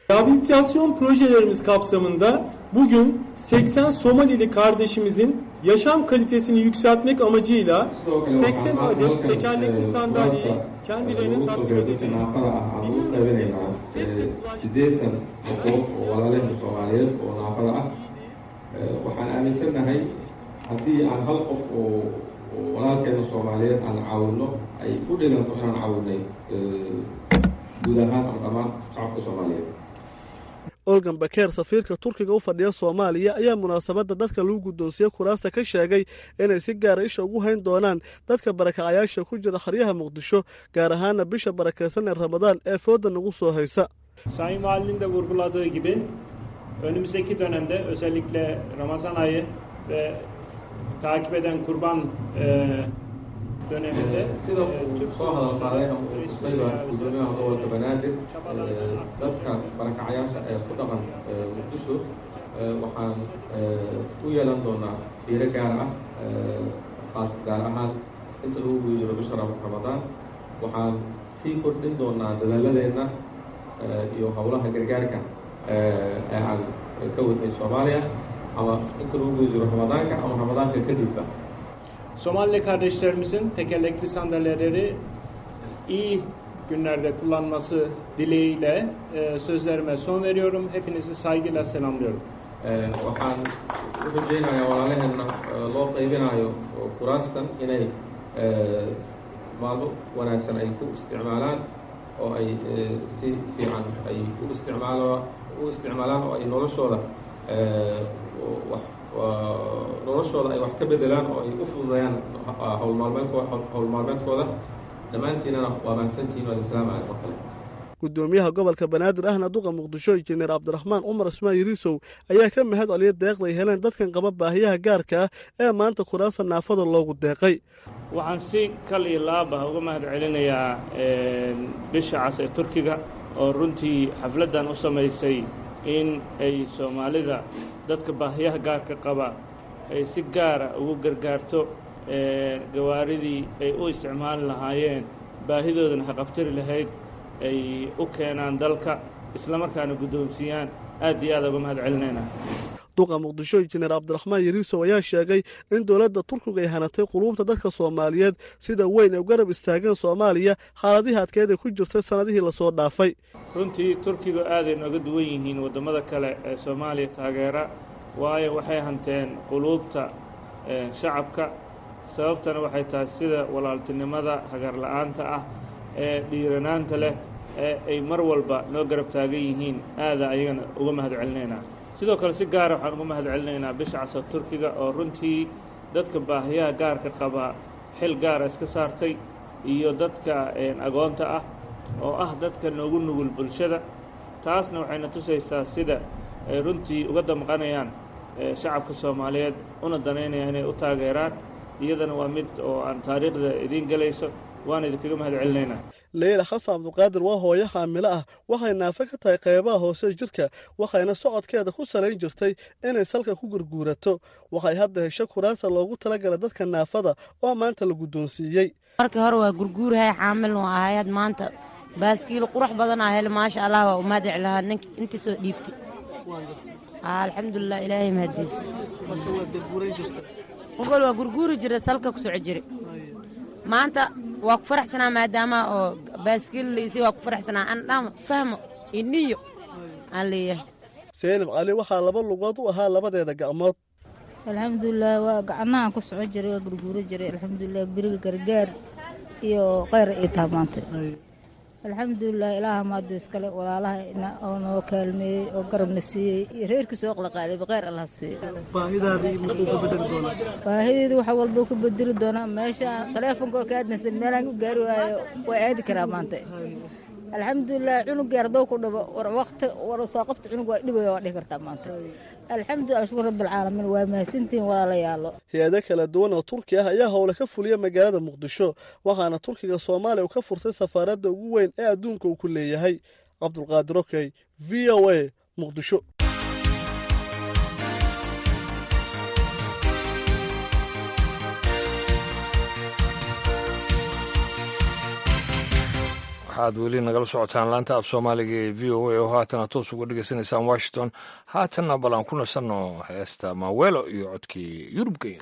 I: Rehabilitasyon projelerimiz kapsamında bugün 80 Somalili kardeşimizin yaşam kalitesini yükseltmek amacıyla 80 adet tekerlekli sandalyeyi kendilerine takdim edeceğiz.
J: Biliyoruz ki tek tek 80 qofood oo walaalaheena Soomaaliyeed oo naafada ah. Waxaan aaminsannahay haddii aan hal qof oo walaalkeena Soomaaliyeed aan caawinno, ay u dhiganto inaan caawinay guud ahaan ama dhammaan shacabka Soomaaliyeed.
E: Olgan Bakeer, safiirka Turkiga u fadhiya Soomaaliya, ayaa munaasabadda dadka lagu guddoonsiye kuraasta ka sheegay inay si gaara isha ugu hayn doonaan dadka barakacayaasha ku jira xeryaha Muqdisho, gaar ahaana bisha barakaysan ee Ramadaan ee fooda nagu soo haysa.
I: Sayın Valinin de vurguladığı gibi önümüzdeki dönemde özellikle Ramazan ayı ve takip eden Kurban döneminde
J: Sida uu soo hadal qaaday ama uu xusayba gudoomiyaha gobolka Banaadir, dadka barakacayaasha ee ku dhaqan Muqdisho waxaan u yeelan doonaa fiiro gaar ah, khaas gaar ahaan inta lagu guda jiro bisha Ramadaan. Waxaan sii kordhin doonaa dadaaladeenna iyo howlaha gargaarka ee aan ka wadnay Soomaaliya, ama inta lagu guda jiro Ramadaanka ama Ramadaanka kadibba.
I: Somalili kardeşlerimizin tekerlekli sandalyeleri iyi günlerde kullanması dileğiyle sözlerime son veriyorum. Hepinizi saygıyla selamlıyorum.
J: Waxaan u rajaynayaa walaalaheenna loo qaybinayo kuraastan inay maalmo wanaagsan ay ku isticmaalaan oo ay si fiican ay u isticmaalaan oo ay noloshooda wax noloshooda ay wax ka bedelaan oo ay u fududeeyaan howl maalmeedkooda. Dhammaantiinana waa mahadsantihiin. Waa islaam oo kale.
E: Gudoomiyaha gobolka Banaadir ahna duqa Muqdisho, injineer Cabdiraxmaan Cumar Ismaan Yariisow, ayaa ka mahad celiyay deeqda ay heleen dadkan qaba baahiyaha gaarka ah ee maanta kuraasta naafada loogu deeqay.
K: Waxaan si kal iyo laab ah uga mahad celinayaa Bisha Cas ee Turkiga oo runtii xafladdan u samaysay in ay Soomaalida dadka baahiyaha gaarka qaba ay si gaara ugu gargaarto, gawaaridii ay u isticmaali lahaayeen baahidoodana haqabtiri lahayd ay u keenaan dalka, isla markaana guddoonsiiyaan. Aad iyo aad uga mahad celinaynaa.
E: Duqa Muqdisho, injineer Cabdiraxmaan Yariisow, ayaa sheegay in dowladda Turkiga ay hanatay quluubta dadka Soomaaliyeed sida weyn ay u garab istaageen Soomaaliya xaaladihii adkeed ay ku jirtay sannadihii lasoo dhaafay.
K: Runtii Turkigu aaday nooga duwan yihiin waddamada kale ee Soomaaliya taageera, waayo waxay hanteen quluubta shacabka. Sababtana waxay tahay sida walaaltinimada hagarla'aanta ah ee dhiiranaanta leh ee ay mar walba noo garab taagan yihiin. Aada ayagana uga mahad celinaynaa. Sidoo kale si gaara waxaan uga mahad celinaynaa Bisha Casoo Turkiga oo runtii dadka baahiyaha gaarka qaba xil gaara iska saartay, iyo dadka agoonta ah oo ah dadka noogu nugul bulshada. Taasna waxayna tusaysaa sida ay runtii uga damqanayaan shacabka Soomaaliyeed una danaynayaan inay u taageeraan. Iyadana waa mid oo aan taariikhda idiin gelayso, waana idinkaga mahad celinaynaa.
E: Leyla Xasan Cabduqaadir waa hooyo xaamilo ah. Waxay naafo ka tahay qaybaha hoose jirka, waxayna socodkeeda ku salayn jirtay inay salka ku gurguurato. Waxay hadda hesho kuraasa loogu talagalay dadka naafada oo maanta la guddoonsiiyey.
L: Markii hore waa gurguurahay, xaamil waa ahayd. Maanta baaskiil qurux badanaa hele, maasha Allah, waa umaadic lahaa ninka intii soo dhiibtay. Alxamdulilah, ilaahay mahadiis. Ogol waa gurguuri jira, salka ku soco jira. Maanta waa ku faraxsanaa maadaama oo baaskiil laisay, waa ku faraxsanaa. Aan dhama fahmo iniyo aan leeyahay.
E: Seynab Cali waxaa laba lugood u ahaa labadeeda gacmood.
M: Alxamdulilah, waa gacnahan ku soco jiray, waa gurguuri jiray. Alxamdulilah, beriga gargaar iyo kheyr ay taha maanta. Alxamdulilah, ilaaha maada iskale, walaalaha oo noo kaalmeeyey oo garabna siiyey iyo reerkii soo qalaqaalay, kheyr allah siiyo. Baahideedu waxa walba ku bedeli doonaa. Meesha taleefonka ka aadnaysan meelaan u gaari waayo waa aadi karaa maanta. Alxamdulilah, cunug yar hadduu ku dhibo, war waqti war soo qabta, cunug waa dhibaya, waa dhihi kartaa maanta. Alxamdulilah, shukur rabbilcaalamiin, waa mahadsantihiin walaalayaalo.
E: Hay-ado kala duwan oo Turki ah ayaa howle ka fuliya magaalada Muqdisho, waxaana Turkiga Soomaaliya uu ka furtay safaaradda ugu weyn ee adduunka uu ku leeyahay. Cabdulqaadir Okey, V O A, Muqdisho.
A: Waxaad weli nagala socotaan laanta af Soomaaliga ee V O A oo haatana toos uga dhegeysanaysaan Washington. Haatanna bal aan ku nasanno heesta Maweelo iyo codkii Yurubgeyn.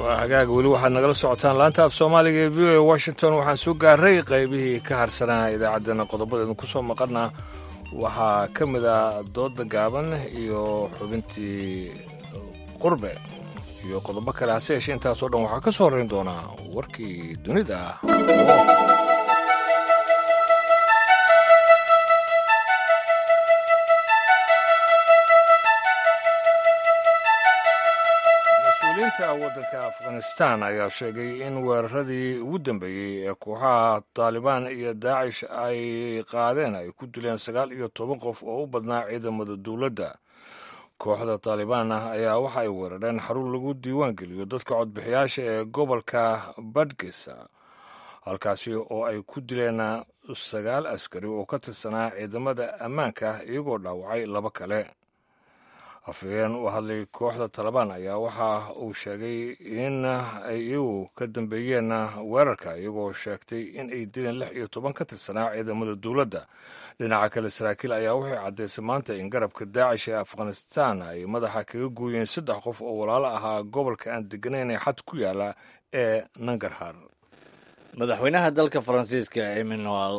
A: Waa hagaaga, weli waxaad nagala socotaan laanta af soomaaliga ee VOA Washington. Waxaan soo gaaray qaybihii ka harsanaa idaacaddana. Qodobadeedu ku soo maqana waxaa ka mid ah dooda gaaban iyo xubintii qurbe iyo qodobo kale. Hase yeeshee intaasoo dhan waxaa ka soo horrayn doonaa warkii dunida. Mas-uuliyiinta waddanka Afghanistan ayaa sheegay in weeraradii ugu dambeeyey ee kooxaha Taalibaan iyo Daacish ay qaadeen ay ku dileen 19 qof oo u badnaa ciidamada dowladda. Kooxda Taalibaan ah ayaa waxa ay weerareen xarun lagu diiwaan geliyo dadka codbixiyaasha ee gobolka Badgisa, halkaasi oo ay ku dileen 9 askari oo ka tirsanaa ciidamada ammaanka, iyagoo dhaawacay laba kale. Afhayeen u hadlay kooxda Talabaan ayaa waxa uu sheegay in ay iyagu ka dambeeyeen weerarka, iyagoo sheegtay in ay dileen 16 ka tirsanaa ciidamada dowladda. Dhinaca kale, saraakiil ayaa waxay caddaysay maanta in garabka Daacish ee Afghanistan ay madaxa kaga gooyeen 3 qof oo walaalo ahaa gobolka aan deganayn ee xad ku yaala ee Nangarhar.
B: Madaxweynaha dalka Faransiiska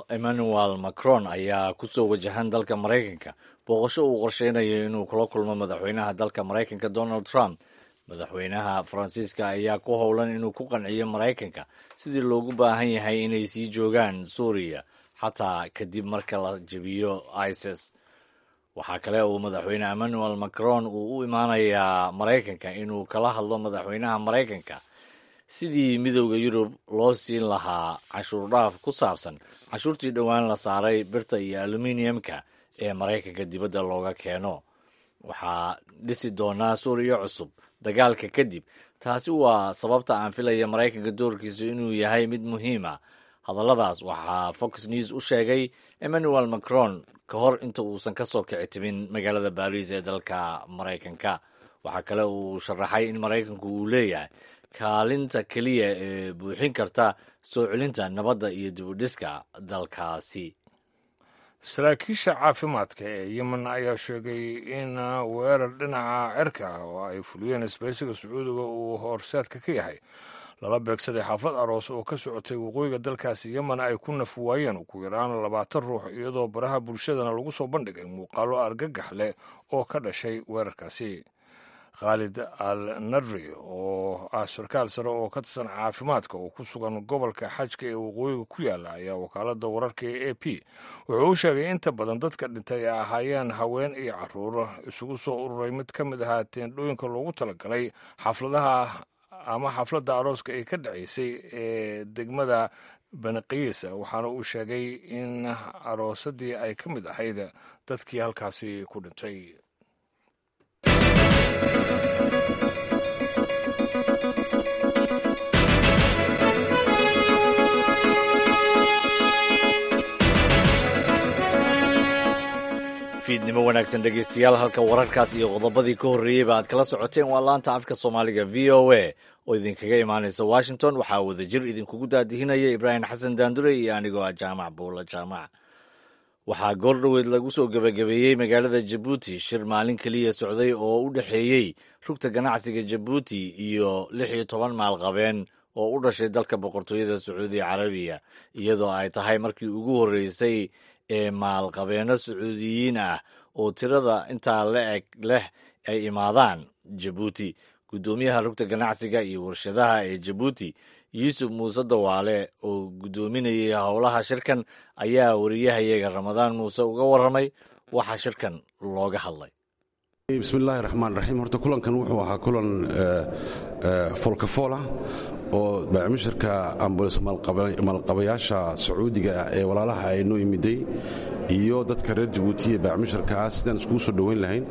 B: Emmanuel Macron ayaa ku soo wajahan dalka Maraykanka booqasho uu qorsheynayo inuu kula kulmo madaxweynaha dalka Maraykanka Donald Trump. Madaxweynaha Faransiiska ayaa ku howlan inuu ku qanciyo Maraykanka sidii loogu baahan yahay inay sii joogaan Suuriya xataa kadib marka la jebiyo ISIS. Waxaa kale uu madaxweyne Emmanuel Macron uu u imaanayaa Maraykanka inuu kala hadlo madaxweynaha Maraykanka sidii Midowda Yurub loo siin lahaa canshuur dhaaf ku saabsan canshuurtii dhowaan la saaray birta iyo aluminiumka ee Maraykanka dibadda looga keeno. Waxaa dhisi doonaa Suuriya cusub dagaalka kadib, taasi waa sababta aan filaya Maraykanka doorkiisu inuu yahay mid muhiim ah. Hadalladaas waxaa Fox News u sheegay Emmanuel Macron ka hor inta uusan ka soo kici timin magaalada Baariis ee dalka Maraykanka. Waxaa kale uu sharaxay in Maraykanku uu leeyahay kaalinta keliya ee buuxin karta soo celinta nabadda iyo dibudhiska dalkaasi.
A: Saraakiisha caafimaadka ee Yemen ayaa sheegay in weerar dhinaca cirka ah oo ay fuliyeen isbaysiga Sacuudiga uu horseedka ka yahay lala beegsaday xaflad aroos oo ka socotay waqooyiga dalkaasi Yemen ay ku naf waayeen ugu yaraan 20 ruux, iyadoo baraha bulshadana lagu soo bandhigay muuqaallo argagax leh oo ka dhashay weerarkaasi. Khaalid Al Nadri oo ah sarkaal sare oo ka tirsan caafimaadka oo ku sugan gobolka Xajka ee waqooyiga ku yaala ayaa wakaaladda wararka ee AP wuxuu u sheegay inta badan dadka dhintay ay ahaayeen haween iyo caruur isugu soo ururay mid ka mid ahaa teendhooyinka loogu talagalay xafladaha ama xafladda arooska ay ka dhaceysay ee degmada Baniqiis. Waxaana uu sheegay in aroosadii ay ka mid ahayd dadkii halkaasi ku dhintay.
B: Fiidnimo wanaagsan dhegeystayaal, halka wararkaas iyo qodobadii ka horreeyeyba aad kala socoteen waa laanta afka Soomaaliga VOA oo idinkaga imaanaysa Washington. Waxaa wadajir idinkugu daadihinaya Ibraahim Xasan Daandure iyo anigoo ah Jaamac Buula Jaamac. Waxaa goordhoweed lagu soo gebagabeeyey magaalada Jabuuti shir maalin keliya socday oo u dhexeeyey rugta ganacsiga Jabuuti iyo 16 maalqabeen oo u dhashay dalka Boqortooyada Sacuudi Carabiya, iyadoo ay tahay markii ugu horreysay ee maalqabeenno Sacuudiyiin ah oo tirada intaa la eg leh ay imaadaan Jabuuti. Guddoomiyaha rugta ganacsiga iyo warshadaha ee Jabuuti, Yuusuf Muuse Dawaale, oo guddoominayay howlaha shirkan, ayaa wariyahayaga Ramadaan Muuse uga warramay waxaa shirkan looga hadlay.
C: Bismillaahi raxmaan raxiim. Horta kulankan wuxuu ahaa kulan foolkafoolah oo baacmushirka ambules maalqabayaasha Sacuudiga ee walaalaha ay noo imiday iyo dadka reer Jabuuti ee baacmushirka ah sidaan iskugu soo dhoweyn lahayn,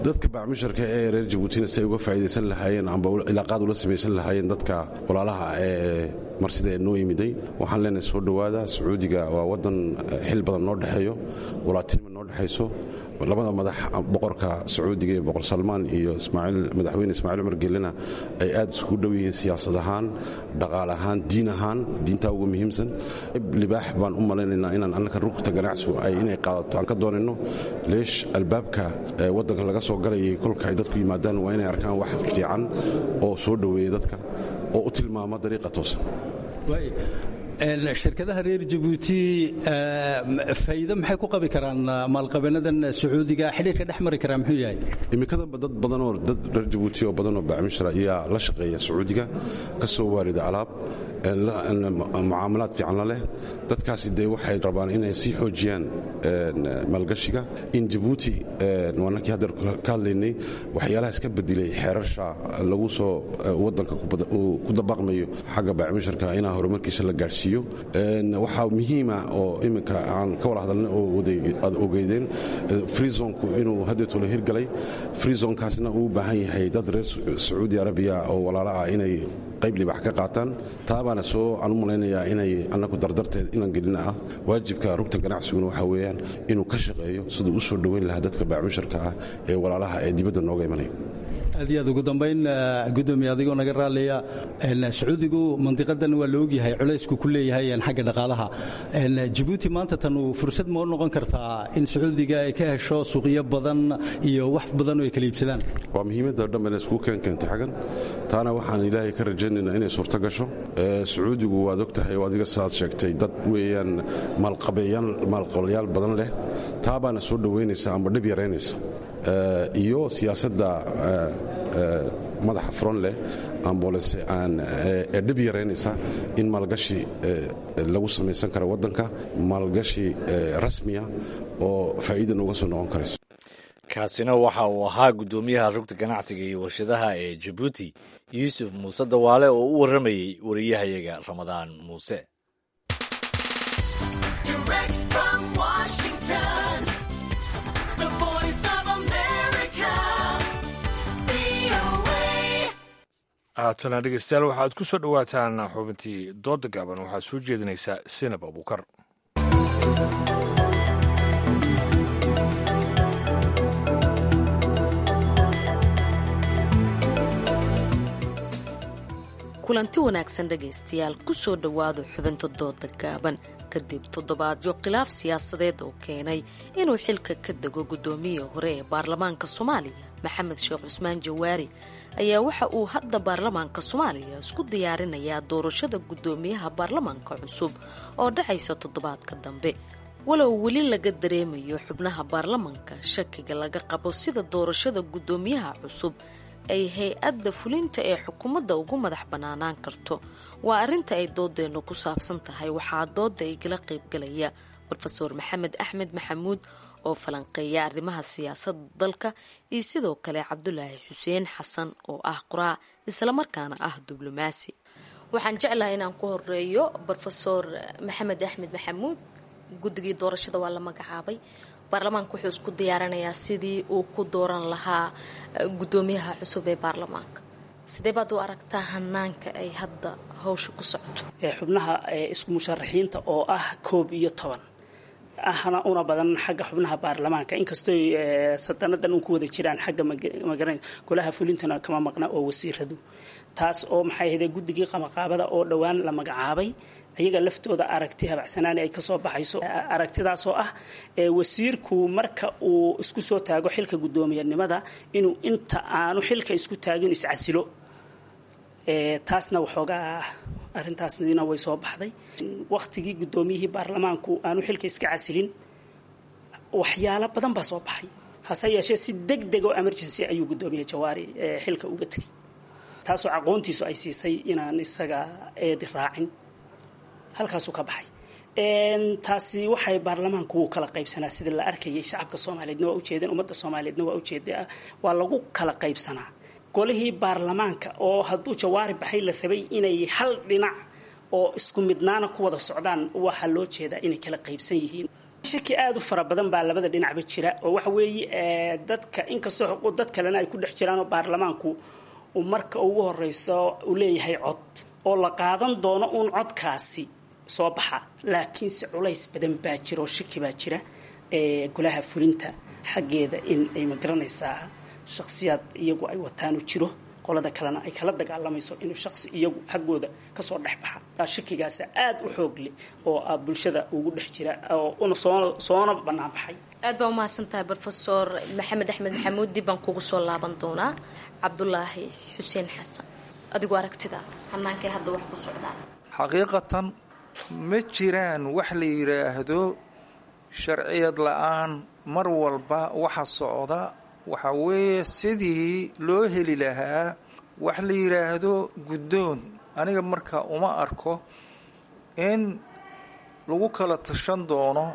C: dadka baacmushirka ee reer Jabuutina si ay uga faa'iidaysan lahaayeen amba ilaaqaad ula samaysan lahaayeen dadka walaalaha ee marsida ee noo imiday. Waxaan leenahay soo dhowaada. Sacuudiga waa waddan xil badan noo dhexeeyo, walaatinima noo dhexayso. Labada madax, boqorka Sacuudiga ee Boqor Salmaan iyo madaxweyne Ismaaciil Cumar Gelena, ay aad iskugu dhow yihiin siyaasad ahaan, dhaqaale ahaan, diin ahaan. Diintaa ugu muhiimsan. Libaax baan u malaynaynaa inaan annaka rugta ganacsigu ay inay qaadato aan ka doonayno. Leesh albaabka waddanka laga soo galayay kolka ay dadku yimaadaan waa inay arkaan wax fiican oo soo dhoweeya dadka. oo u tilmaama dariiqa toosan.
N: Shirkadaha reer Jabuuti faa'iido maxay ku qabi karaan maalqabenadan Sacuudiga? Xidhiirka dhex mari karaa muxuu yahay?
C: Imikadanba dad badanoo dad reer Jabuuti oo badanoo bacmishra ayaa la shaqeeya Sacuudiga, ka soo waarida alaab, mucaamalaad fiican la leh. Dadkaasi dee waxay rabaan inay sii xoojiyaan maalgashiga in Jabuuti. Waa nakii hadda ka hadlaynay waxyaalaha iska bedelay xeerasha lagu soo waddanka ku dabaqmayo xagga bacmisharka inaa horumarkiisa la gaadhsiiyo. Waxaa muhiima oo iminka aan ka wada hadalnay oo aad ogeydeen freezonku inuu haddeetolo hirgalay. Freezonkaasna uu u baahan yahay dad reer Sacuudi Arabiya oo walaalo ah inay qayb libax ka qaataan. Taabaana soo aan u malaynayaa inay annagu dardarteed inaan gelina ah. Waajibka rugta ganacsiguna waxaa weeyaan inuu ka shaqeeyo siduu u soo dhoweyn lahaa dadka baacmusharka ah ee walaalaha ee dibadda nooga imanaya.
N: Aad iyo aad. Ugu dambayn, gudoomiye, adigoo naga raallaya, Sacuudigu mandiqadan waa la ogyahay culaysku ku leeyahay xagga dhaqaalaha Jabuuti. Maanta tanu fursad ma u noqon kartaa in Sacuudiga ay ka hesho suuqyo badan iyo wax badan oo ay kala iibsadaan?
C: Waa muhiimadda dhan bayna isku keentay xaggan. Taana waxaan Ilaahay ka rajaynaynaa inay suurto gasho. Sacuudigu waad og tahay oo adiga sidaad sheegtay dad weeyaan maalqabeeyaan, maalqabalayaal badan leh. Taa baana soo dhoweynaysa amba dhib yaraynaysa iyo siyaasadda madaxa furan leh amboolese aan ee dhib yaraynaysa in maalgashi lagu samaysan karo waddanka, maalgashi rasmiya oo faa'iida nooga soo noqon karayso.
B: Kaasina waxa uu ahaa guddoomiyaha rugta ganacsiga iyo warshadaha ee Jabuuti, Yuusuf Muuse Dawaale, oo u warramayey wariyahayaga Ramadaan Muuse.
O: Direct from Washington, the Voice of America, VOA.
A: Haatana dhegeystayaal, waxaad ku soo dhowaataan xubintii dooda gaaban. Waxaad soo jeedinaysaa Sinab Abuukar.
P: Kulanti wanaagsan dhegaystayaal, kusoo dhowaada xubinta dooda gaaban. Kadib toddobaadyo khilaaf siyaasadeed oo keenay inuu xilka ka dego guddoomiyihii hore ee baarlamaanka Soomaaliya, Maxamed Sheekh Cusmaan Jawaari, ayaa waxa uu hadda baarlamaanka Soomaaliya isku diyaarinayaa doorashada guddoomiyaha baarlamaanka cusub oo dhacaysa toddobaadka dambe. Walow weli laga dareemayo xubnaha baarlamaanka shakiga laga qabo sida doorashada guddoomiyaha cusub ay hay-adda fulinta ee xukuumadda ugu madax bannaanaan karto, waa arrinta ay doodeennu ku saabsan tahay. Waxaa dooda igala qaybgalaya Brofeor Maxamed Axmed Maxamuud oo falanqeeya arrimaha siyaasadda dalka, iyo sidoo kale Cabdulaahi Xuseen Xasan oo ah qoraa islamarkaana ah diblomaasi. Waxaan jeclahay inaan ku horeeyo Brofeor Maxamed Axmed Maxamuud. Guddigii doorashada waa la magacaabay, baarlamaanka wuxuu isku diyaarinayaa sidii uu ku dooran lahaa guddoomiyaha cusub ee baarlamaanka. Sidee baad u aragtaa hanaanka ay hadda hawsha ku socoto?
Q: Xubnaha isku musharaxiinta oo ah 11 ahna una badan xagga xubnaha baarlamaanka, inkastoo sadanadan un ku wada jiraan xagga magaran golaha fulintana kama maqna oo wasiiradu, taas oo maxay ahayd guddigii qamaqaabada oo dhowaan la magacaabay, ayaga laftooda aragti habacsanaan ay kasoo baxayso, aragtidaasoo ah wasiirku marka uu isku soo taago xilka guddoomiyanimada inuu inta aanu xilka isku taagin iscasilo. Taasna waxoogaa arrintaasina way soo baxday waqtigii guddoomiyihii baarlamaanku aanu xilka iska casilin. Waxyaalo badan baa soo baxay, hase yeeshee si deg deg oo emergency ayuu guddoomiye Jawaari xilka uga tegay, taasoo aqoontiisu ay siisay inaan isaga eedi raacin, halkaasuu ka baxay. Taasi waxay baarlamaanku wuu kala qaybsanaa sida la arkayay. Shacabka Soomaaliyeedna waa ujeedeen, ummadda Soomaaliyeedna waa ujeeda, waa lagu kala qaybsanaa golihii baarlamaanka oo hadduu Jawaari baxay la rabay inay hal dhinac oo isku midnaana ku wada socdaan. Waxaa loo jeedaa inay kala qaybsan yihiin. Shaki aada u fara badan baa labada dhinacba jira oo waxa weeye dadka, inkastoo xuquuq dad kalena ay ku dhex jiraan oo baarlamaanku uu marka ugu horeyso uu leeyahay cod oo la qaadan doono uun codkaasi soo baxa, laakiinse culays badan baa jira oo shaki baa jira golaha fulinta xaggeeda in ay magaranaysaa shakhsiyaad iyagu ay wataanu jiro, qolada kalena ay kala dagaalamayso inuu shakhsi iyagu xaggooda kasoo dhex baxa. Taa shakigaasa aada u xoog leh oo bulshada ugu dhex jira oo una soona bannaan baxay.
P: Aad baa umahadsan tahay Brofesor Maxamed Axmed Maxamuud. Dib baan kugu soo laaban doonaa. Cabdulaahi Xuseen Xasan, Adigu aragtida hanaankay hadda wax ku socdaan?
R: Xaqiiqatan ma jiraan wax la yidhaahdo sharciyad la-aan. Mar walba waxa socda waxa weeye sidii loo heli lahaa wax la yidhaahdo guddoon. Aniga marka uma arko in lagu kala tashan doono,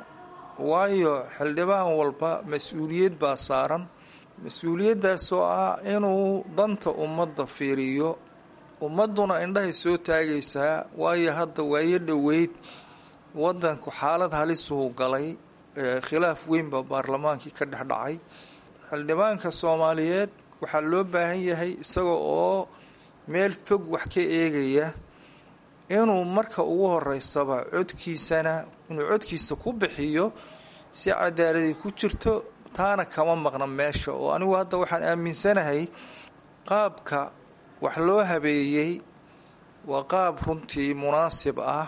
R: waayo xildhibaan walba mas-uuliyad baa saaran, mas-uuliyaddaasoo ah inuu danta ummadda fiiriyo. Ummadduna indhahay soo taagaysaa, waayo hadda waayo dhoweyd waddanku xaalad halisuhu galay, khilaaf weyn baa baarlamaankii ka dhex dhacay. Xildhibaanka Soomaaliyeed waxaa loo baahan yahay isaga oo meel fog wax ka eegaya inuu marka ugu horeysaba codkiisana inuu codkiisa ku bixiyo si cadaaladii ku jirto. Taana kama maqna meesha, oo anigu hadda waxaan aaminsanahay qaabka wax loo habeeyey waa qaab runtii munaasib ah.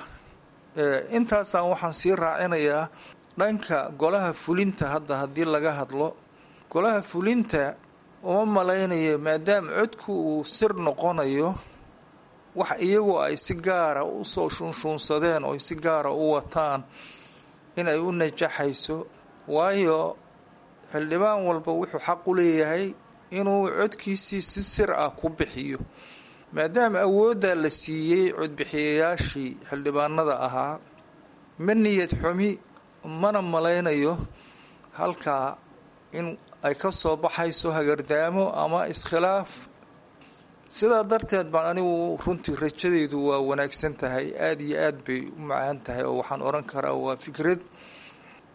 R: Intaasaan waxaan sii raacinayaa dhanka golaha fulinta. Hadda haddii laga hadlo golaha fulinta, uma malaynayo maadaama codku uu sir noqonayo wax iyagu ay si gaara usoo shuunshuunsadeen oo si gaara u wataan in ay u najaxayso, waayo xildhibaan walba wuxuu xaq u leeyahay inuu codkiisii si sir ah ku bixiyo. Maadaama awooddaa la siiyey codbixiyayaashii xildhibaanada ahaa, ma niyad xumi mana malaynayo halkaa in ay ka soo baxayso hagardaamo ama iskhilaaf. Sidaa darteed baan anigu runtii rajadeydu waa wanaagsan tahay, aada iyo aad bay u macaan tahay, oo waxaan odhan karaa waa fikrad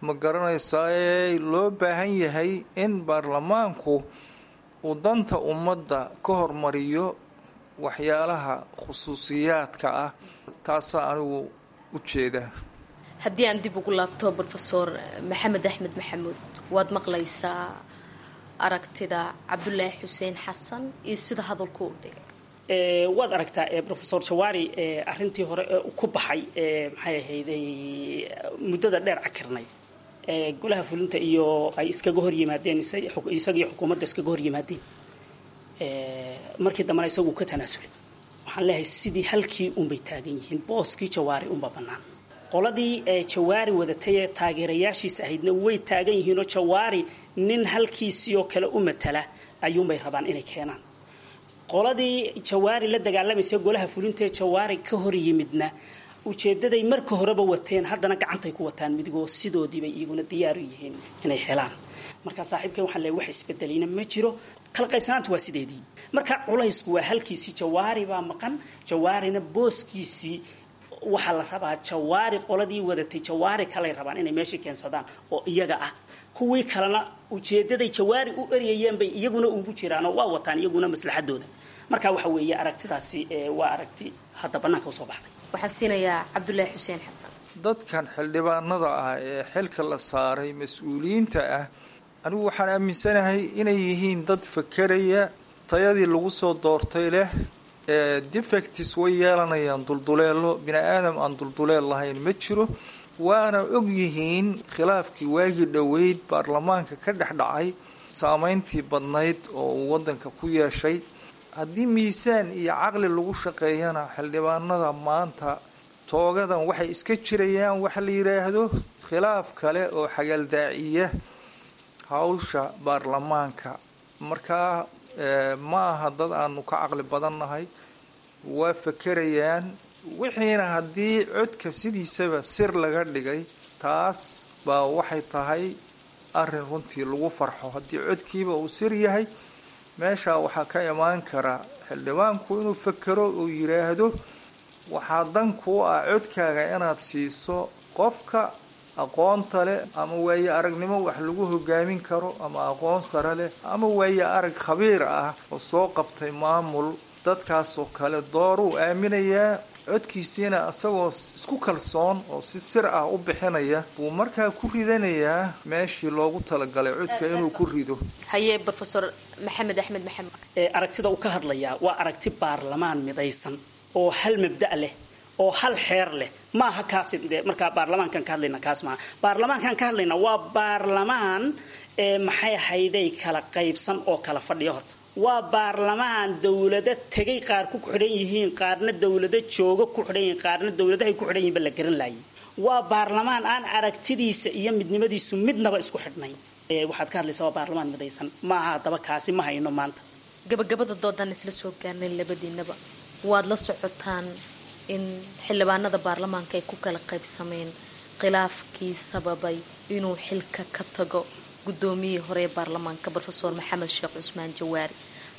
R: ma garanaysaa loo baahan yahay in baarlamaanku uu danta ummadda ka hormariyo waxyaalaha khusuusiyaadka ah. Taasaa anigu u jeedaa.
P: Haddii aan dib ugu laabto Brofesor Maxamed Axmed Maxamuud, waad maqlaysaa aragtida Cabdulaahi Xuseen Xasan iyo sida hadalku u dhigay.
Q: Waad aragtaa Profesor Jawaari arintii hore ku baxay, maxay ahayday, muddada dheer cakirnay golaha fulinta iyo ay iskaga hor yimaadeen, isaga iyo xukuumadda iskaga hor yimaadeen, markii dambena isagu ka tanaasulay. Waxaan leeyahay sidii halkii unbay taagan yihiin, booskii Jawaari unba bannaan. Qoladii Jawaari wadatay ee taageerayaashiis ahaydna way taagan yihiinoo Jawaari nin halkiisii oo kale u matala ayuunbay rabaan inay keenaan. Qoladii Jawaari la dagaalamaysa golaha fulintaee Jawaari ka hor yimidna ujeedaday marka horeba wateen haddana gacantay ku wataan midigoo sidoodiibay iyaguna diyaaru yihiin inay helaan. Marka saaxiibkay waxaan leeyahay wax isbedelayna ma jiro, kala qaybsanaanta waa sideedii. Marka culaysku waa halkiisii, Jawaari baa maqan, Jawaarina booskiisii waxaa la rabaa. Jawaari qoladii wadatay Jawaari kalay rabaan inay meeshii keensadaan oo iyaga ah. Kuwii kalena ujeedaday Jawaari u eryayeen bay iyaguna ugu jiraanoo waa wataan iyaguna maslaxadooda. Marka waxa weeye aragtidaasi waa aragti hadda bannaanka usoo baxday.
P: Waxaan siinayaa Cabdulaahi Xuseen Xasan.
R: Dadkan xildhibaanada ah ee xilka la saaray mas-uuliyiinta ah, anigu waxaan aaminsanahay inay yihiin dad fakeraya, tayadii lagu soo doortay leh. Defects way yeelanayaan, dulduleelo, bini aadam aan dulduleel lahayn ma jiro. Waana og yihiin khilaafkii waagii dhoweyd baarlamaanka ka dhex dhacay saameyntii badnayd oo uu waddanka ku yeeshay. Haddii miisaan iyo caqli lagu shaqeeyana, xildhibaanada maanta toogadan waxay iska jirayaan waxa la yidhaahdo khilaaf kale oo xagaldaaciya hawsha baarlamaanka. Markaa ma aha dad aanu ka caqli badannahay, waa fakerayaan wixiina. Haddii codka sidiisaba sir laga dhigay, taas baa waxay tahay arrin runtii lagu farxo. Haddii codkiiba uu sir yahay, meeshaa waxaa ka imaan kara xildhibaanku inuu fakero uu yidhaahdo waxaa dan kuu ah codkaaga inaad siiso qofka aqoonta leh ama waaye aragnimo wax lagu hogaamin karo ama aqoon sare leh ama waaye arag khabiir ah oo soo qabtay maamul. Dadkaasoo kale dooruu aaminayaa, codkiisiina isagoo isku kalsoon oo si sir ah u bixinaya buu markaa ku ridanayaa meeshii loogu talagalay codka inuu ku rido.
P: Haye Brofesor Maxamed Axmed Maxamed.
Q: Aragtida uu ka hadlayaa waa aragti baarlamaan midaysan oo hal mabda' leh oo hal xeer leh. Maaha kaasi de, markaa baarlamaankan ka hadlayna kaas maaha. Baarlamaankan ka hadlayna waa baarlamaan maxay ahayday kala qaybsan oo kala fadhiya horta. Waa baarlamaan dowlado tegay qaar ku xidhan yihiin, qaarna dowlado jooga ku xidhan yihiin, qaarna dowladahay ku xidhan yihiin ba la garan laayay. Waa baarlamaan aan aragtidiisa iyo midnimadiisu midnaba isku xidhnayn. Waxaad ka hadlaysaa waa baarlamaan midaysan maaha. Haddaba kaasi ma hayno maanta.
P: Gabagabada doodaan isla soo gaarnay, labadiinaba waad la socotaan in xildhibaanada baarlamaanka ay ku kala qaybsameen khilaafkii sababay inuu xilka ka tago gudoomiyihii hore ee baarlamaanka Rofeor Maxamed Sheekh Cusmaan Jawaari.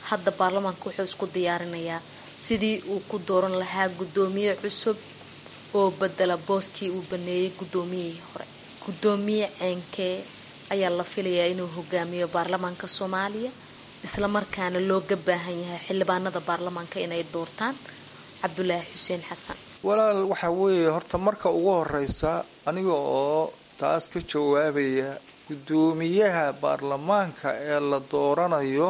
P: Hadda baarlamaanka wuxuu isku diyaarinayaa sidii uu ku dooran lahaa gudoomiye cusub oo bedela booskii uu baneeyay gudoomiyihii hore. Gudoomiye ceenkee ayaa la filayaa inuu hogaamiyo baarlamaanka Soomaaliya, islamarkaana looga baahan yahay xildhibaanada baarlamaanka inay doortaan? Cabdulaahi Xuseen Xasan.
R: Walaal, waxaa weeye horta marka ugu horeysa, aniga oo taas ka jawaabaya, guddoomiyaha baarlamaanka ee la dooranayo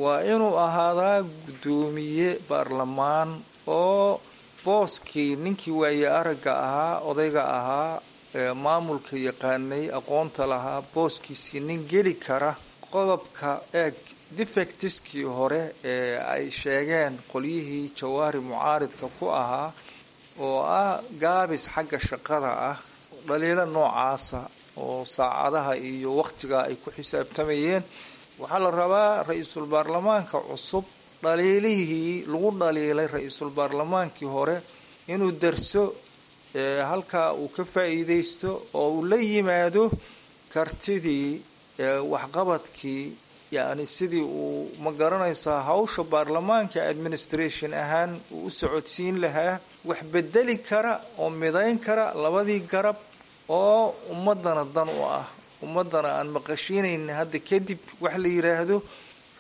R: waa inuu ahaadaa guddoomiye baarlamaan oo booskii ninkii waaye aragga ahaa, odayga ahaa, ee maamulka yaqaanay, aqoonta lahaa, booskiisii nin geli kara. Qodobka eeg, defectiskii hore ee ay sheegeen qolyihii Jawaari mucaaridka ku ahaa oo ah gaabis xagga shaqada ah, dhaliilo noocaasa oo saacadaha iyo waqtiga ay ku xisaabtamayeen, waxaa la rabaa ra-iisul baarlamaanka cusub dhaliilihii lagu dhaliilay ra-iisul baarlamaankii hore inuu darso, halkaa uu ka faa-iideysto oo uu la yimaado kartidii, waxqabadkii, yacni sidii uu, ma garanaysaa, hawsha baarlamaanka administration ahaan uu u socodsiin lahaa, wax bedeli kara oo midayn kara labadii garab oo ummadana dan u ah, ummadana aan maqashiinayn hadda kadib wax la yiraahdo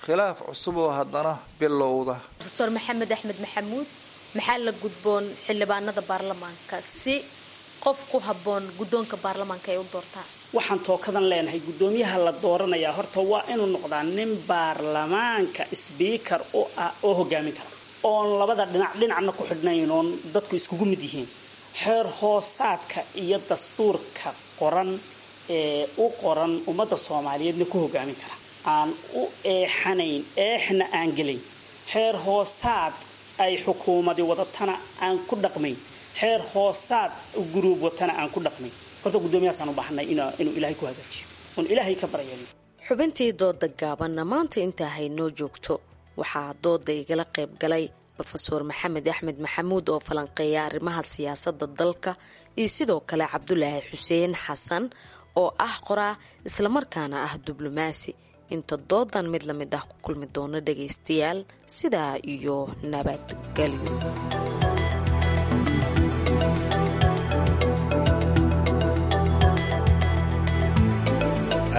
R: khilaaf cusub oo haddana bilowda.
P: Rofeor Maxamed Axmed Maxamuud, maxaa la gudboon xildhibaanada baarlamaanka si qof ku habboon guddoonka baarlamaanka ay u doortaan?
Q: Waxaan tookadan leenahay, guddoomiyaha la dooranayaa horta waa inuu noqdaa nin baarlamaanka speaker u ah oo hogaamin kara, oon labada dhinac dhinacna ku xidhnayn, oon dadku iskugu mid yihiin, xeer hoosaadka iyo dastuurka qoran ee u qoran ummadda Soomaaliyeedna ku hogaamin kara, aan u eexanayn, eexna aan gelayn, xeer hoosaad ay xukuumadi wadatana aan ku dhaqmayn, xeer hoosaad guruub watana aan ku dhaqmayn. Horta guddoomiyahaasaan u baahanay inuu Ilaahay ku hagaajiyo oon Ilaahay ka baryayn.
P: Xubintii dooda gaabanna maanta intaa haynoo joogto. Waxaa dooda igala qayb galay Rofeor Maxamed Axmed Maxamuud oo falanqeeya arrimaha siyaasadda dalka, iyo sidoo kale Cabdulaahi Xuseen Xasan oo ah qoraa islamarkaana ah diblomaasi. Inta doodan mid la mid ah ku kulmi doono, dhagaystayaal, sidaa iyo nabadgelyo.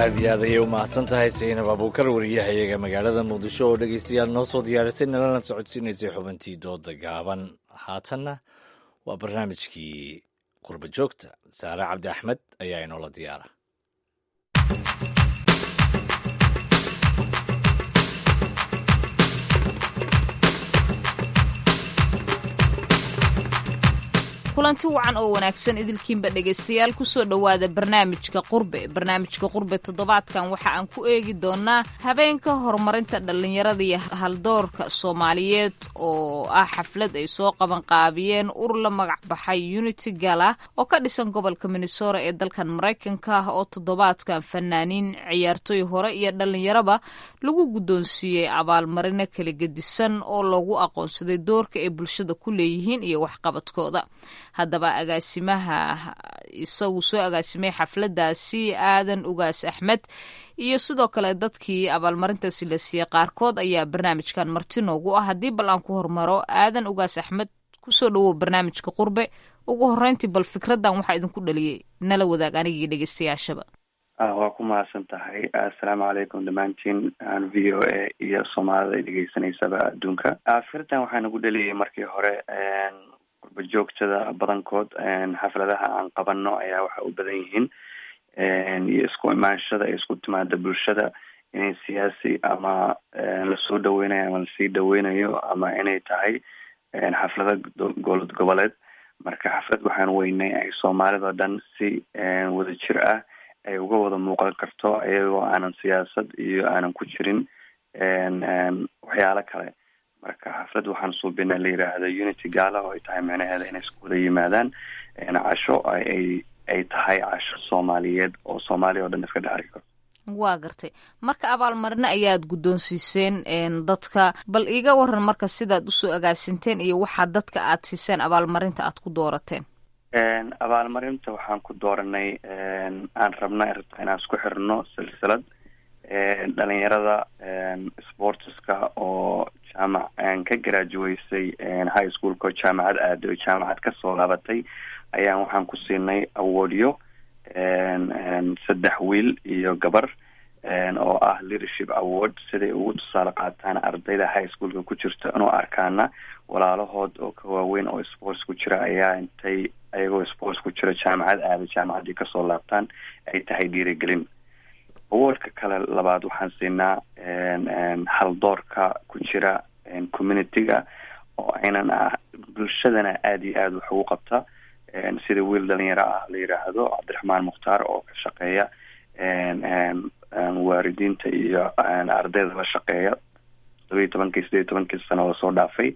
B: Aad iyo aad ayay u mahadsan tahay Saynab Abuukar, wariyahayaga magaalada Muqdisho, oo dhegaystayaal noo soo diyaarisay nalana socodsiinaysay xubintii dooda gaaban. Haatanna waa barnaamijkii Qurba Joogta. Saare Cabdi Axmed ayaa inoola diyaara.
S: Kulanti wacan oo wanaagsan idilkiinba, dhegaystayaal, kusoo dhowaada barnaamijka Qurbe. Barnaamijka Qurbe toddobaadkan waxa aan ku eegi doonaa habeenka horumarinta dhallinyarada iyo haldoorka Soomaaliyeed, oo ah xaflad ay soo qabanqaabiyeen urur la magac baxay Unity Gala oo ka dhisan gobolka Minnesota ee dalkan Maraykanka ah, oo toddobaadkan fanaaniin, ciyaartoy hore iyo dhallinyaraba lagu guddoonsiiyey abaalmarino kala gedisan oo loogu aqoonsaday doorka ay bulshada ku leeyihiin iyo waxqabadkooda. Haddaba agaasimaha isagu soo agaasimay xafladaasi, Aadan Ugaas Axmed, iyo sidoo kale dadkii abaalmarintaasi la siiyey qaarkood ayaa barnaamijkan marti noogu ah. Haddii bal aan ku hormaro Aadan Ugaas Axmed, kusoo dhawow barnaamijka Qurbe. Ugu horeyntii, bal fikraddan waxaa idinku dhaliyey nala wadaag anigii dhegeystayaashaba.
T: Waa ku mahadsan tahay. Assalaamu calaykum dhammaantiin VOA iyo Soomaalida ay dhegeysanaysaba adduunka. Fikraddan waxaa nagu dhaliyay markii hore qurba joogtada badankood xafladaha aan qabano ayaa waxa u badan yihiin iyo isku imaanshada ay isku timaada bulshada inay siyaasi ama lasoo dhaweynayo ama lasii dhaweynayo ama inay tahay xaflado dowlad goboleed. Marka xaflad waxaan weynay ay Soomaalida dhan si wadajir ah ay uga wada muuqan karto, iyagoo aanan siyaasad iyo aanan ku jirin Waxyaalo kale. Marka xaflad waxaan suubinay la yiraahdo Unity Gala, oo ay tahay micnaheeda inay isku wada yimaadaan casho ay tahay casho Soomaaliyeed oo Soomaaliya oo dhan iska dhex arki karto.
S: Waa gartay. Marka abaalmarino ayaad guddoonsiiseen dadka. Bal iiga waran marka sidaad usoo agaasinteen iyo waxaa dadka aad siiseen abaalmarinta aad ku doorateen.
T: Abaalmarinta waxaan ku dooranay, aan rabna rabta inaan isku xirno silsilad dhalinyarada sportska oo jaamac ka graduaysay high schoolka, oo jaamacad aaday oo jaamacad kasoo laabatay, ayaan waxaan ku siinay awardyo, saddex wiil iyo gabar, oo ah leadership award, siday ugu tusaale qaataan ardayda high schoolka ku jirta inuu arkaana walaalahood oo ka waaweyn oo sports ku jira ayaa intay ayagoo sports ku jira jaamacad aaday, jaamacaddii kasoo laabtaan, ay tahay dhiirigelin. Awardka kale labaad waxaan siinaa haldoorka ku jira community-ga oo aynan ah bulshadana aada iyo aada wax ugu qabta, sida wiil dhalinyaro ah la yiraahdo Cabdiraxmaan Mukhtaar oo ka shaqeeya waalidiinta iyo ardayda la shaqeeya 17-kii 18-kii sano lasoo dhaafay,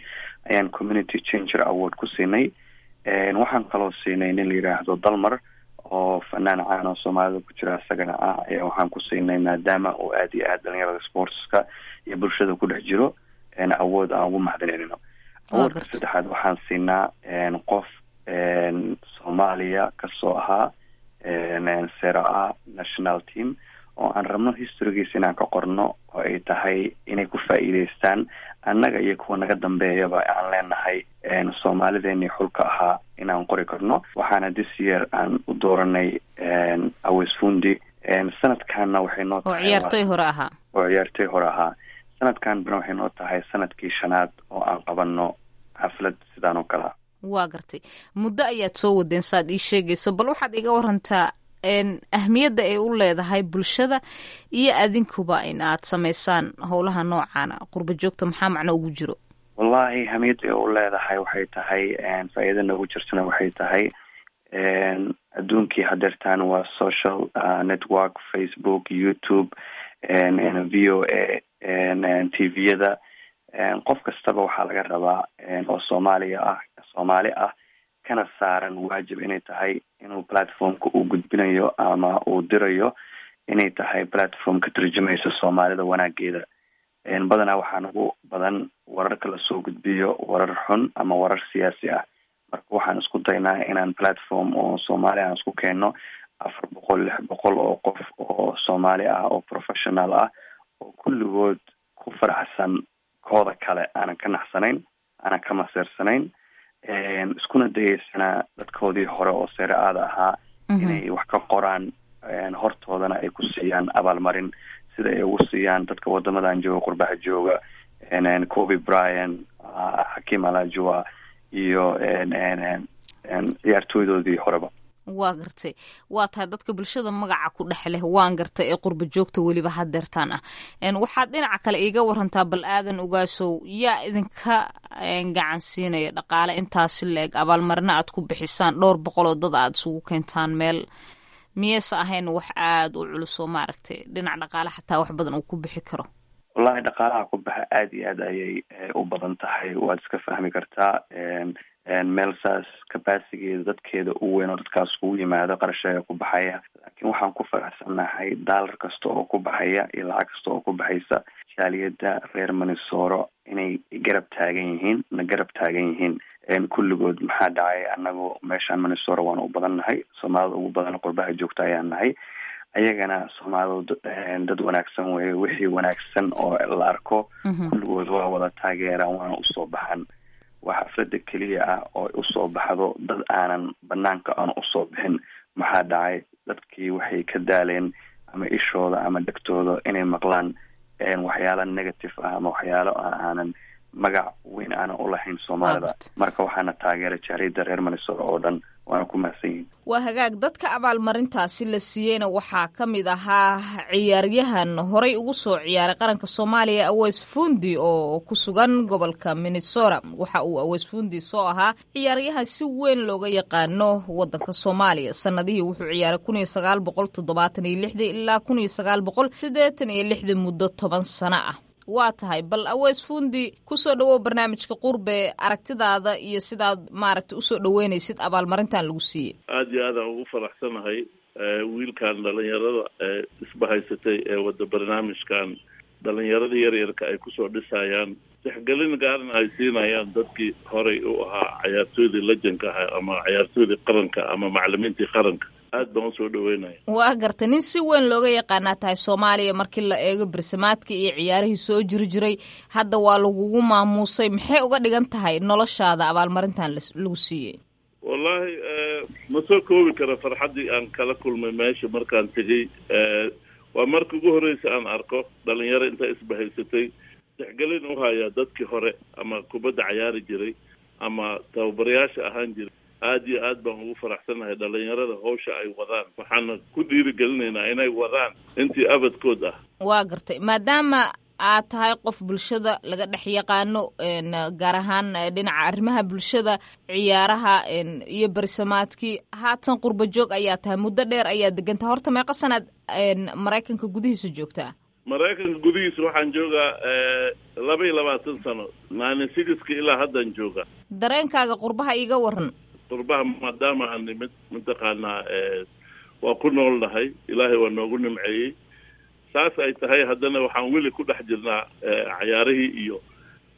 T: ayaan Community Changer Award ku siinay. Waxaan kaloo siinay nin la yiraahdo Dalmar oo fanaan caan oo Soomaalida ku jira isagana ah, ayaa waxaan ku siinay, maadaama uu aada iyo aada dhalinyarada sportska iyo bulshada ku dhex jiro, awood aan ugu mahadinayno. Awardka saddexaad waxaan siinaa qof Soomaaliya kasoo ahaa Serie A national team oo aan rabno historygiisa inaan ka qorno, oo ay tahay inay ku faa'iideystaan annaga iyo kuwa naga dambeeyaba aan leenahay Soomaalideenii xulka ahaa inaan qori karno. Waxaana this year aan u dooranay Awes Fundi. Sanadkanna waxay noo
S: oo ciyaartoy hore ahaa.
T: Oo ciyaartoy hore ahaa. Sanadkan bana waxay noo tahay sanadkii shanaad oo aan qabano xaflad sidaan oo kale.
S: Waa gartay. Muddo ayaad soo wadeen saad ii sheegayso. Bal waxaad iga warantaa ahmiyadda ay u leedahay bulshada iyo adinkuba in aad samaysaan howlaha noocaana. Qurba joogta maxaa macno ugu jiro?
T: Wallahi, ahmiyadda ay u leedahay waxay tahay, faa'iida noogu jirtana waxay tahay, adduunkii hadeertaan waa social network, Facebook, YouTube, VOA, TV-yada. Qof kastaba waxaa laga rabaa oo Soomaaliya ah, Soomaali ah, kana saaran waajib inay tahay inuu platformka uu gudbinayo ama uu dirayo inay tahay platform ka turjumaysa Soomaalida wanaageeda. Badanaa waxaa nagu badan wararka lasoo gudbiyo warar xun ama warar siyaasi ah. Marka waxaan isku daynaa inaan platform oo Soomaali aan isku keenno 400, 600 oo qof oo Soomaali ah oo professional ah oo kulligood ku faraxsan kooda kale, aanan ka naxsanayn, aanan ka maseersanayn, iskuna dayeysanaa dadkoodii hore oo Serie A-da ahaa inay wax ka qoraan, hortoodana ay ku siiyaan abaalmarin, sida ay ugu siiyaan dadka wadamadan jooga, qurbaha jooga, Kobe Bryant, Hakim Olajuwon iyo ciyaartooydoodii horeba.
S: Waa gartay. Waa tahay dadka bulshada magaca ku dhex leh, waan gartay, ee qurba joogta weliba hadeertaan ah. Waxaad dhinaca kale iiga warantaa bal, Aadan Ogaasow, yaa idinka gacan siinaya dhaqaale intaasi la-eg, abaalmarina aad ku bixisaan dhowr boqol oo dad aad isugu keentaan meel? Miyeyse ahayn wax aada u culus oo maaragtay dhinac dhaqaale xataa wax badan uu ku bixi karo?
T: Wallahi, dhaqaalaha ku baxa aada iyo aad ayay u badan tahay. Waad iska fahmi kartaa, meel saas capacitygeeda dadkeeda u weyn oo dadkaas kugu yimaado, qarasheega ku baxaya. Laakiin waxaan ku faraxsannahay daalar kasta oo ku baxaya iyo lacag kasta oo ku baxaysa, jaaliyadda reer Minnesota inay garab taagan yihiin, na garab taagan yihiin kulligood. Maxaa dhacay, anagu meeshaan Minnesota waan u badan nahay, Soomaalida ugu badan qurbaha joogta ayaan nahay. Ayagana Soomaalidu dad wanaagsan weye, wixii wanaagsan oo la arko kulligood waa wada taageeraan, waana usoo baxan. Waa xaflada keliya ah oo usoo baxdo dad aanan banaanka aan usoo bixin. Maxaa dhacay, dadkii waxay ka daaleen ama ishooda ama dhegtooda inay maqlaan waxyaalo negative ah ama waxyaalo aanan magac weyn aanan ulahayn Soomaalida. Marka waxaana taageera jaaliyadda reer Minnesota oo dhan, waana ku mahadsan yihin.
S: Waa hagaag. Dadka abaalmarintaasi la siiyeyna waxaa ka mid ahaa ciyaaryahan horey ugu soo ciyaaray qaranka Soomaaliya, Aweys Fundi, oo ku sugan gobolka Minnesota. Waxa uu Aweys Fundi soo ahaa ciyaaryahan si weyn looga yaqaano wadanka Soomaaliya. Sanadihii wuxuu ciyaaray 1976-dii ilaa 1986-dii, muddo 10 sano ah. Waa tahay, bal Aweys Fundi, kusoo dhawow barnaamijka Qurbe, aragtidaada iyo sidaad maaragta usoo dhaweynaysid abaalmarintan lagu siiyey.
U: Aada iyo aadaan ugu faraxsanahay wiilkan dhalinyarada ee isbahaysatay ee wada barnaamijkan dhalinyarada yaryarka ay kusoo dhisayaan, tixgelin gaarna ay siinayaan dadkii horay u ahaa cayaartooydii lejanka ahaa ama cayaartooydii qaranka ama macalimiintii qaranka. Aad baan usoo dhaweynaya.
S: Waa gartay, nin si weyn looga yaqaanaa tahay Soomaaliya markii la eego bersamaadka iyo ciyaarihii soo jiri jiray. Hadda waa lagugu maamuusay, maxay uga dhigan tahay noloshaada abaalmarintan lagu siiyey?
U: Wallaahi ma soo koobi kara farxaddii aan kala kulmay meesha markaan tegey. Waa marka ugu horreysa aan arko dhalinyaro intaa isbahaysatay tixgelin u haya dadkii hore ama kubadda cayaari jiray ama tababarayaasha ahaan jiray. Aada iyo aad baan ugu faraxsanahay dhalinyarada hawsha ay wadaan, waxaana ku dhiirigelinaynaa inay wadaan intii abadkood ah.
S: Waa gartay, maadaama aad tahay qof bulshada laga dhex yaqaano, gaar ahaan dhinaca arrimaha bulshada, ciyaaraha iyo bersamaadkii, haatan qurba joog ayaa tahay, muddo dheer ayaa degantahay. Horta meeqa sanaad Maraykanka gudihiisa joogtaa?
U: Maraykanka gudihiisa waxaan joogaa 22 sano, 96-ka ilaa haddaan joogaa.
S: Dareenkaaga qurbaha iiga waran.
U: Qurbaha maadaama aan nimid, mataqaanaa, waa ku nool nahay, Ilaahay waa noogu nimceeyey. Saas ay tahay haddana waxaan weli ku dhex jirnaa cayaarihii iyo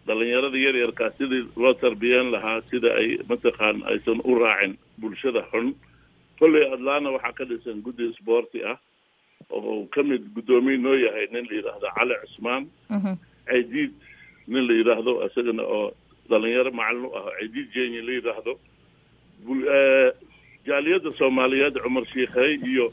U: dhalinyarada yaryarkaa sidii loo tarbiyeyn lahaa, sida ay mataqaan aysan u raacin bulshada xun. Kolley Adlaana waxaa ka dhisan guddi sboorti ah oo ka mid guddoomiye noo yahay nin la yidhaahdo Cali Cusmaan Caydiid, nin la yidhaahdo isagana oo dhalinyaro macalin u ah, Caydiid Jenyi la yidhaahdo, jaaliyadda Soomaaliyeed Cumar Shiikhey iyo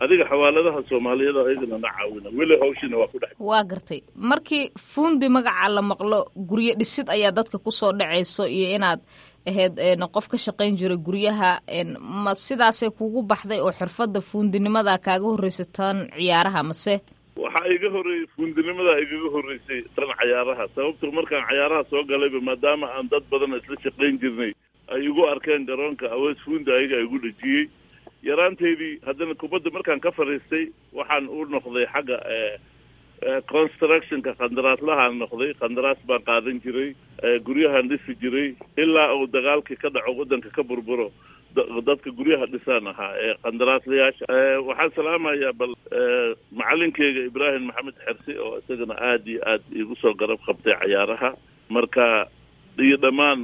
U: adiga xawaaladaha Soomaaliyeed ayagana na caawina. Weli hawshiina waa ku dhex.
S: Waa gartay, markii Fundi magaca la maqlo guryo dhisid ayaa dadka kusoo dhacayso iyo inaad ahayd qof ka shaqayn jiray guryaha. Ma sidaasay kugu baxday oo xirfadda fuundinimada kaaga horreysay tan ciyaaraha mase?
U: Waxaa iga horreeyey fuundinimadaa igaga horreysay tan cayaaraha, sababto markaan cayaaraha soo galayba maadaama aan dad badan isla shaqayn jirnay ay igu arkeen garoonka Aweys Fundi, ayaga igu dhejiyey yaraanteydii. Haddana kubadda markaan ka fadhiistay waxaan u noqday xagga constructionka, qandaraaslahaan noqday. Qandaraas baan qaadan jiray, guryahaan dhisi jiray ilaa uu dagaalkii ka dhaco, waddanka ka burburo. Dadka guryaha dhisaan ahaa ee qandaraaslayaasha. Waxaan salaamayaa bal macalinkeyga Ibraahim Maxamed Xersi oo isagana aada iyo aad iigu soo garab qabtay cayaaraha marka, iyo dhammaan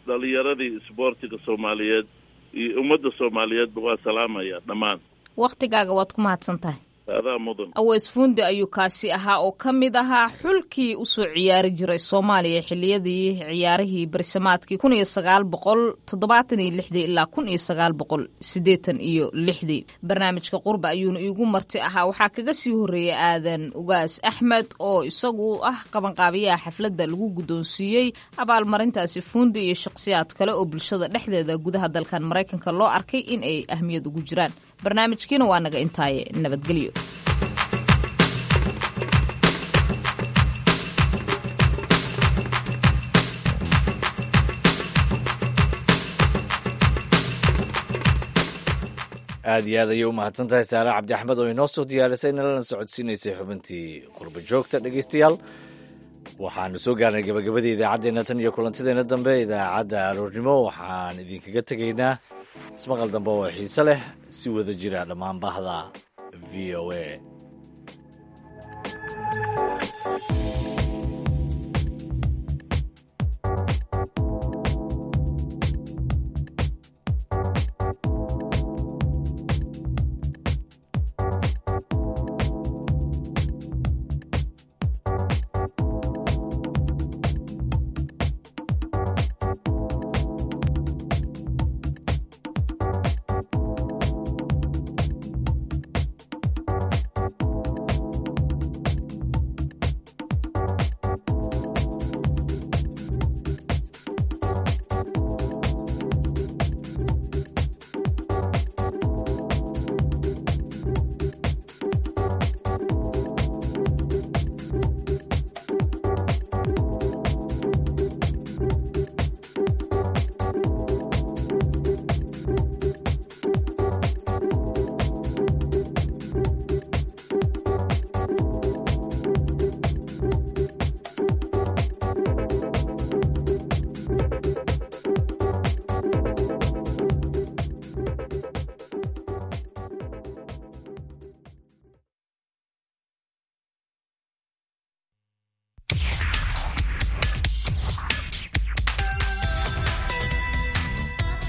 U: dhalinyaradii isboortiga Soomaaliyeed iyo ummadda Soomaaliyeedba waa salaamaya dhammaan.
S: Waktigaaga waad ku mahadsan tahay.
U: Adaa mudan.
S: Aweys Fundi ayuu kaasi ahaa oo ka mid ahaa xulkii usoo ciyaari jiray Soomaaliya xiliyadii ciyaarihii bersamaadkii 1976-dii ilaa 1986-dii. Barnaamijka Qurba ayuuna iigu marti ahaa. Waxaa kaga sii horreeyay Aadan Ugaas Axmed oo isagu ah qabanqaabiyaha xafladda lagu guddoonsiiyey abaalmarintaasi Fundi iyo shakhsiyaad kale oo bulshada dhexdeeda gudaha dalkan Maraykanka loo arkay in ay ahmiyad ugu jiraan. Barnaamijkiina waa naga intaaye, nabadgelyo.
B: Aad iyo aad ayay u mahadsan tahay Saare Cabdi Axmed oo inoo soo diyaarisay nalana socodsiinaysay xubintii Qurba Joogta. Dhegeystayaal, waxaanu soo gaarnay gabagabadii idaacaddeenna. Tan iyo kulantideenna dambe idaacadda aroornimo, waxaan idinkaga tegaynaa ismaqal dambe oo xiise leh, si wada jira dhammaan bahda VOA.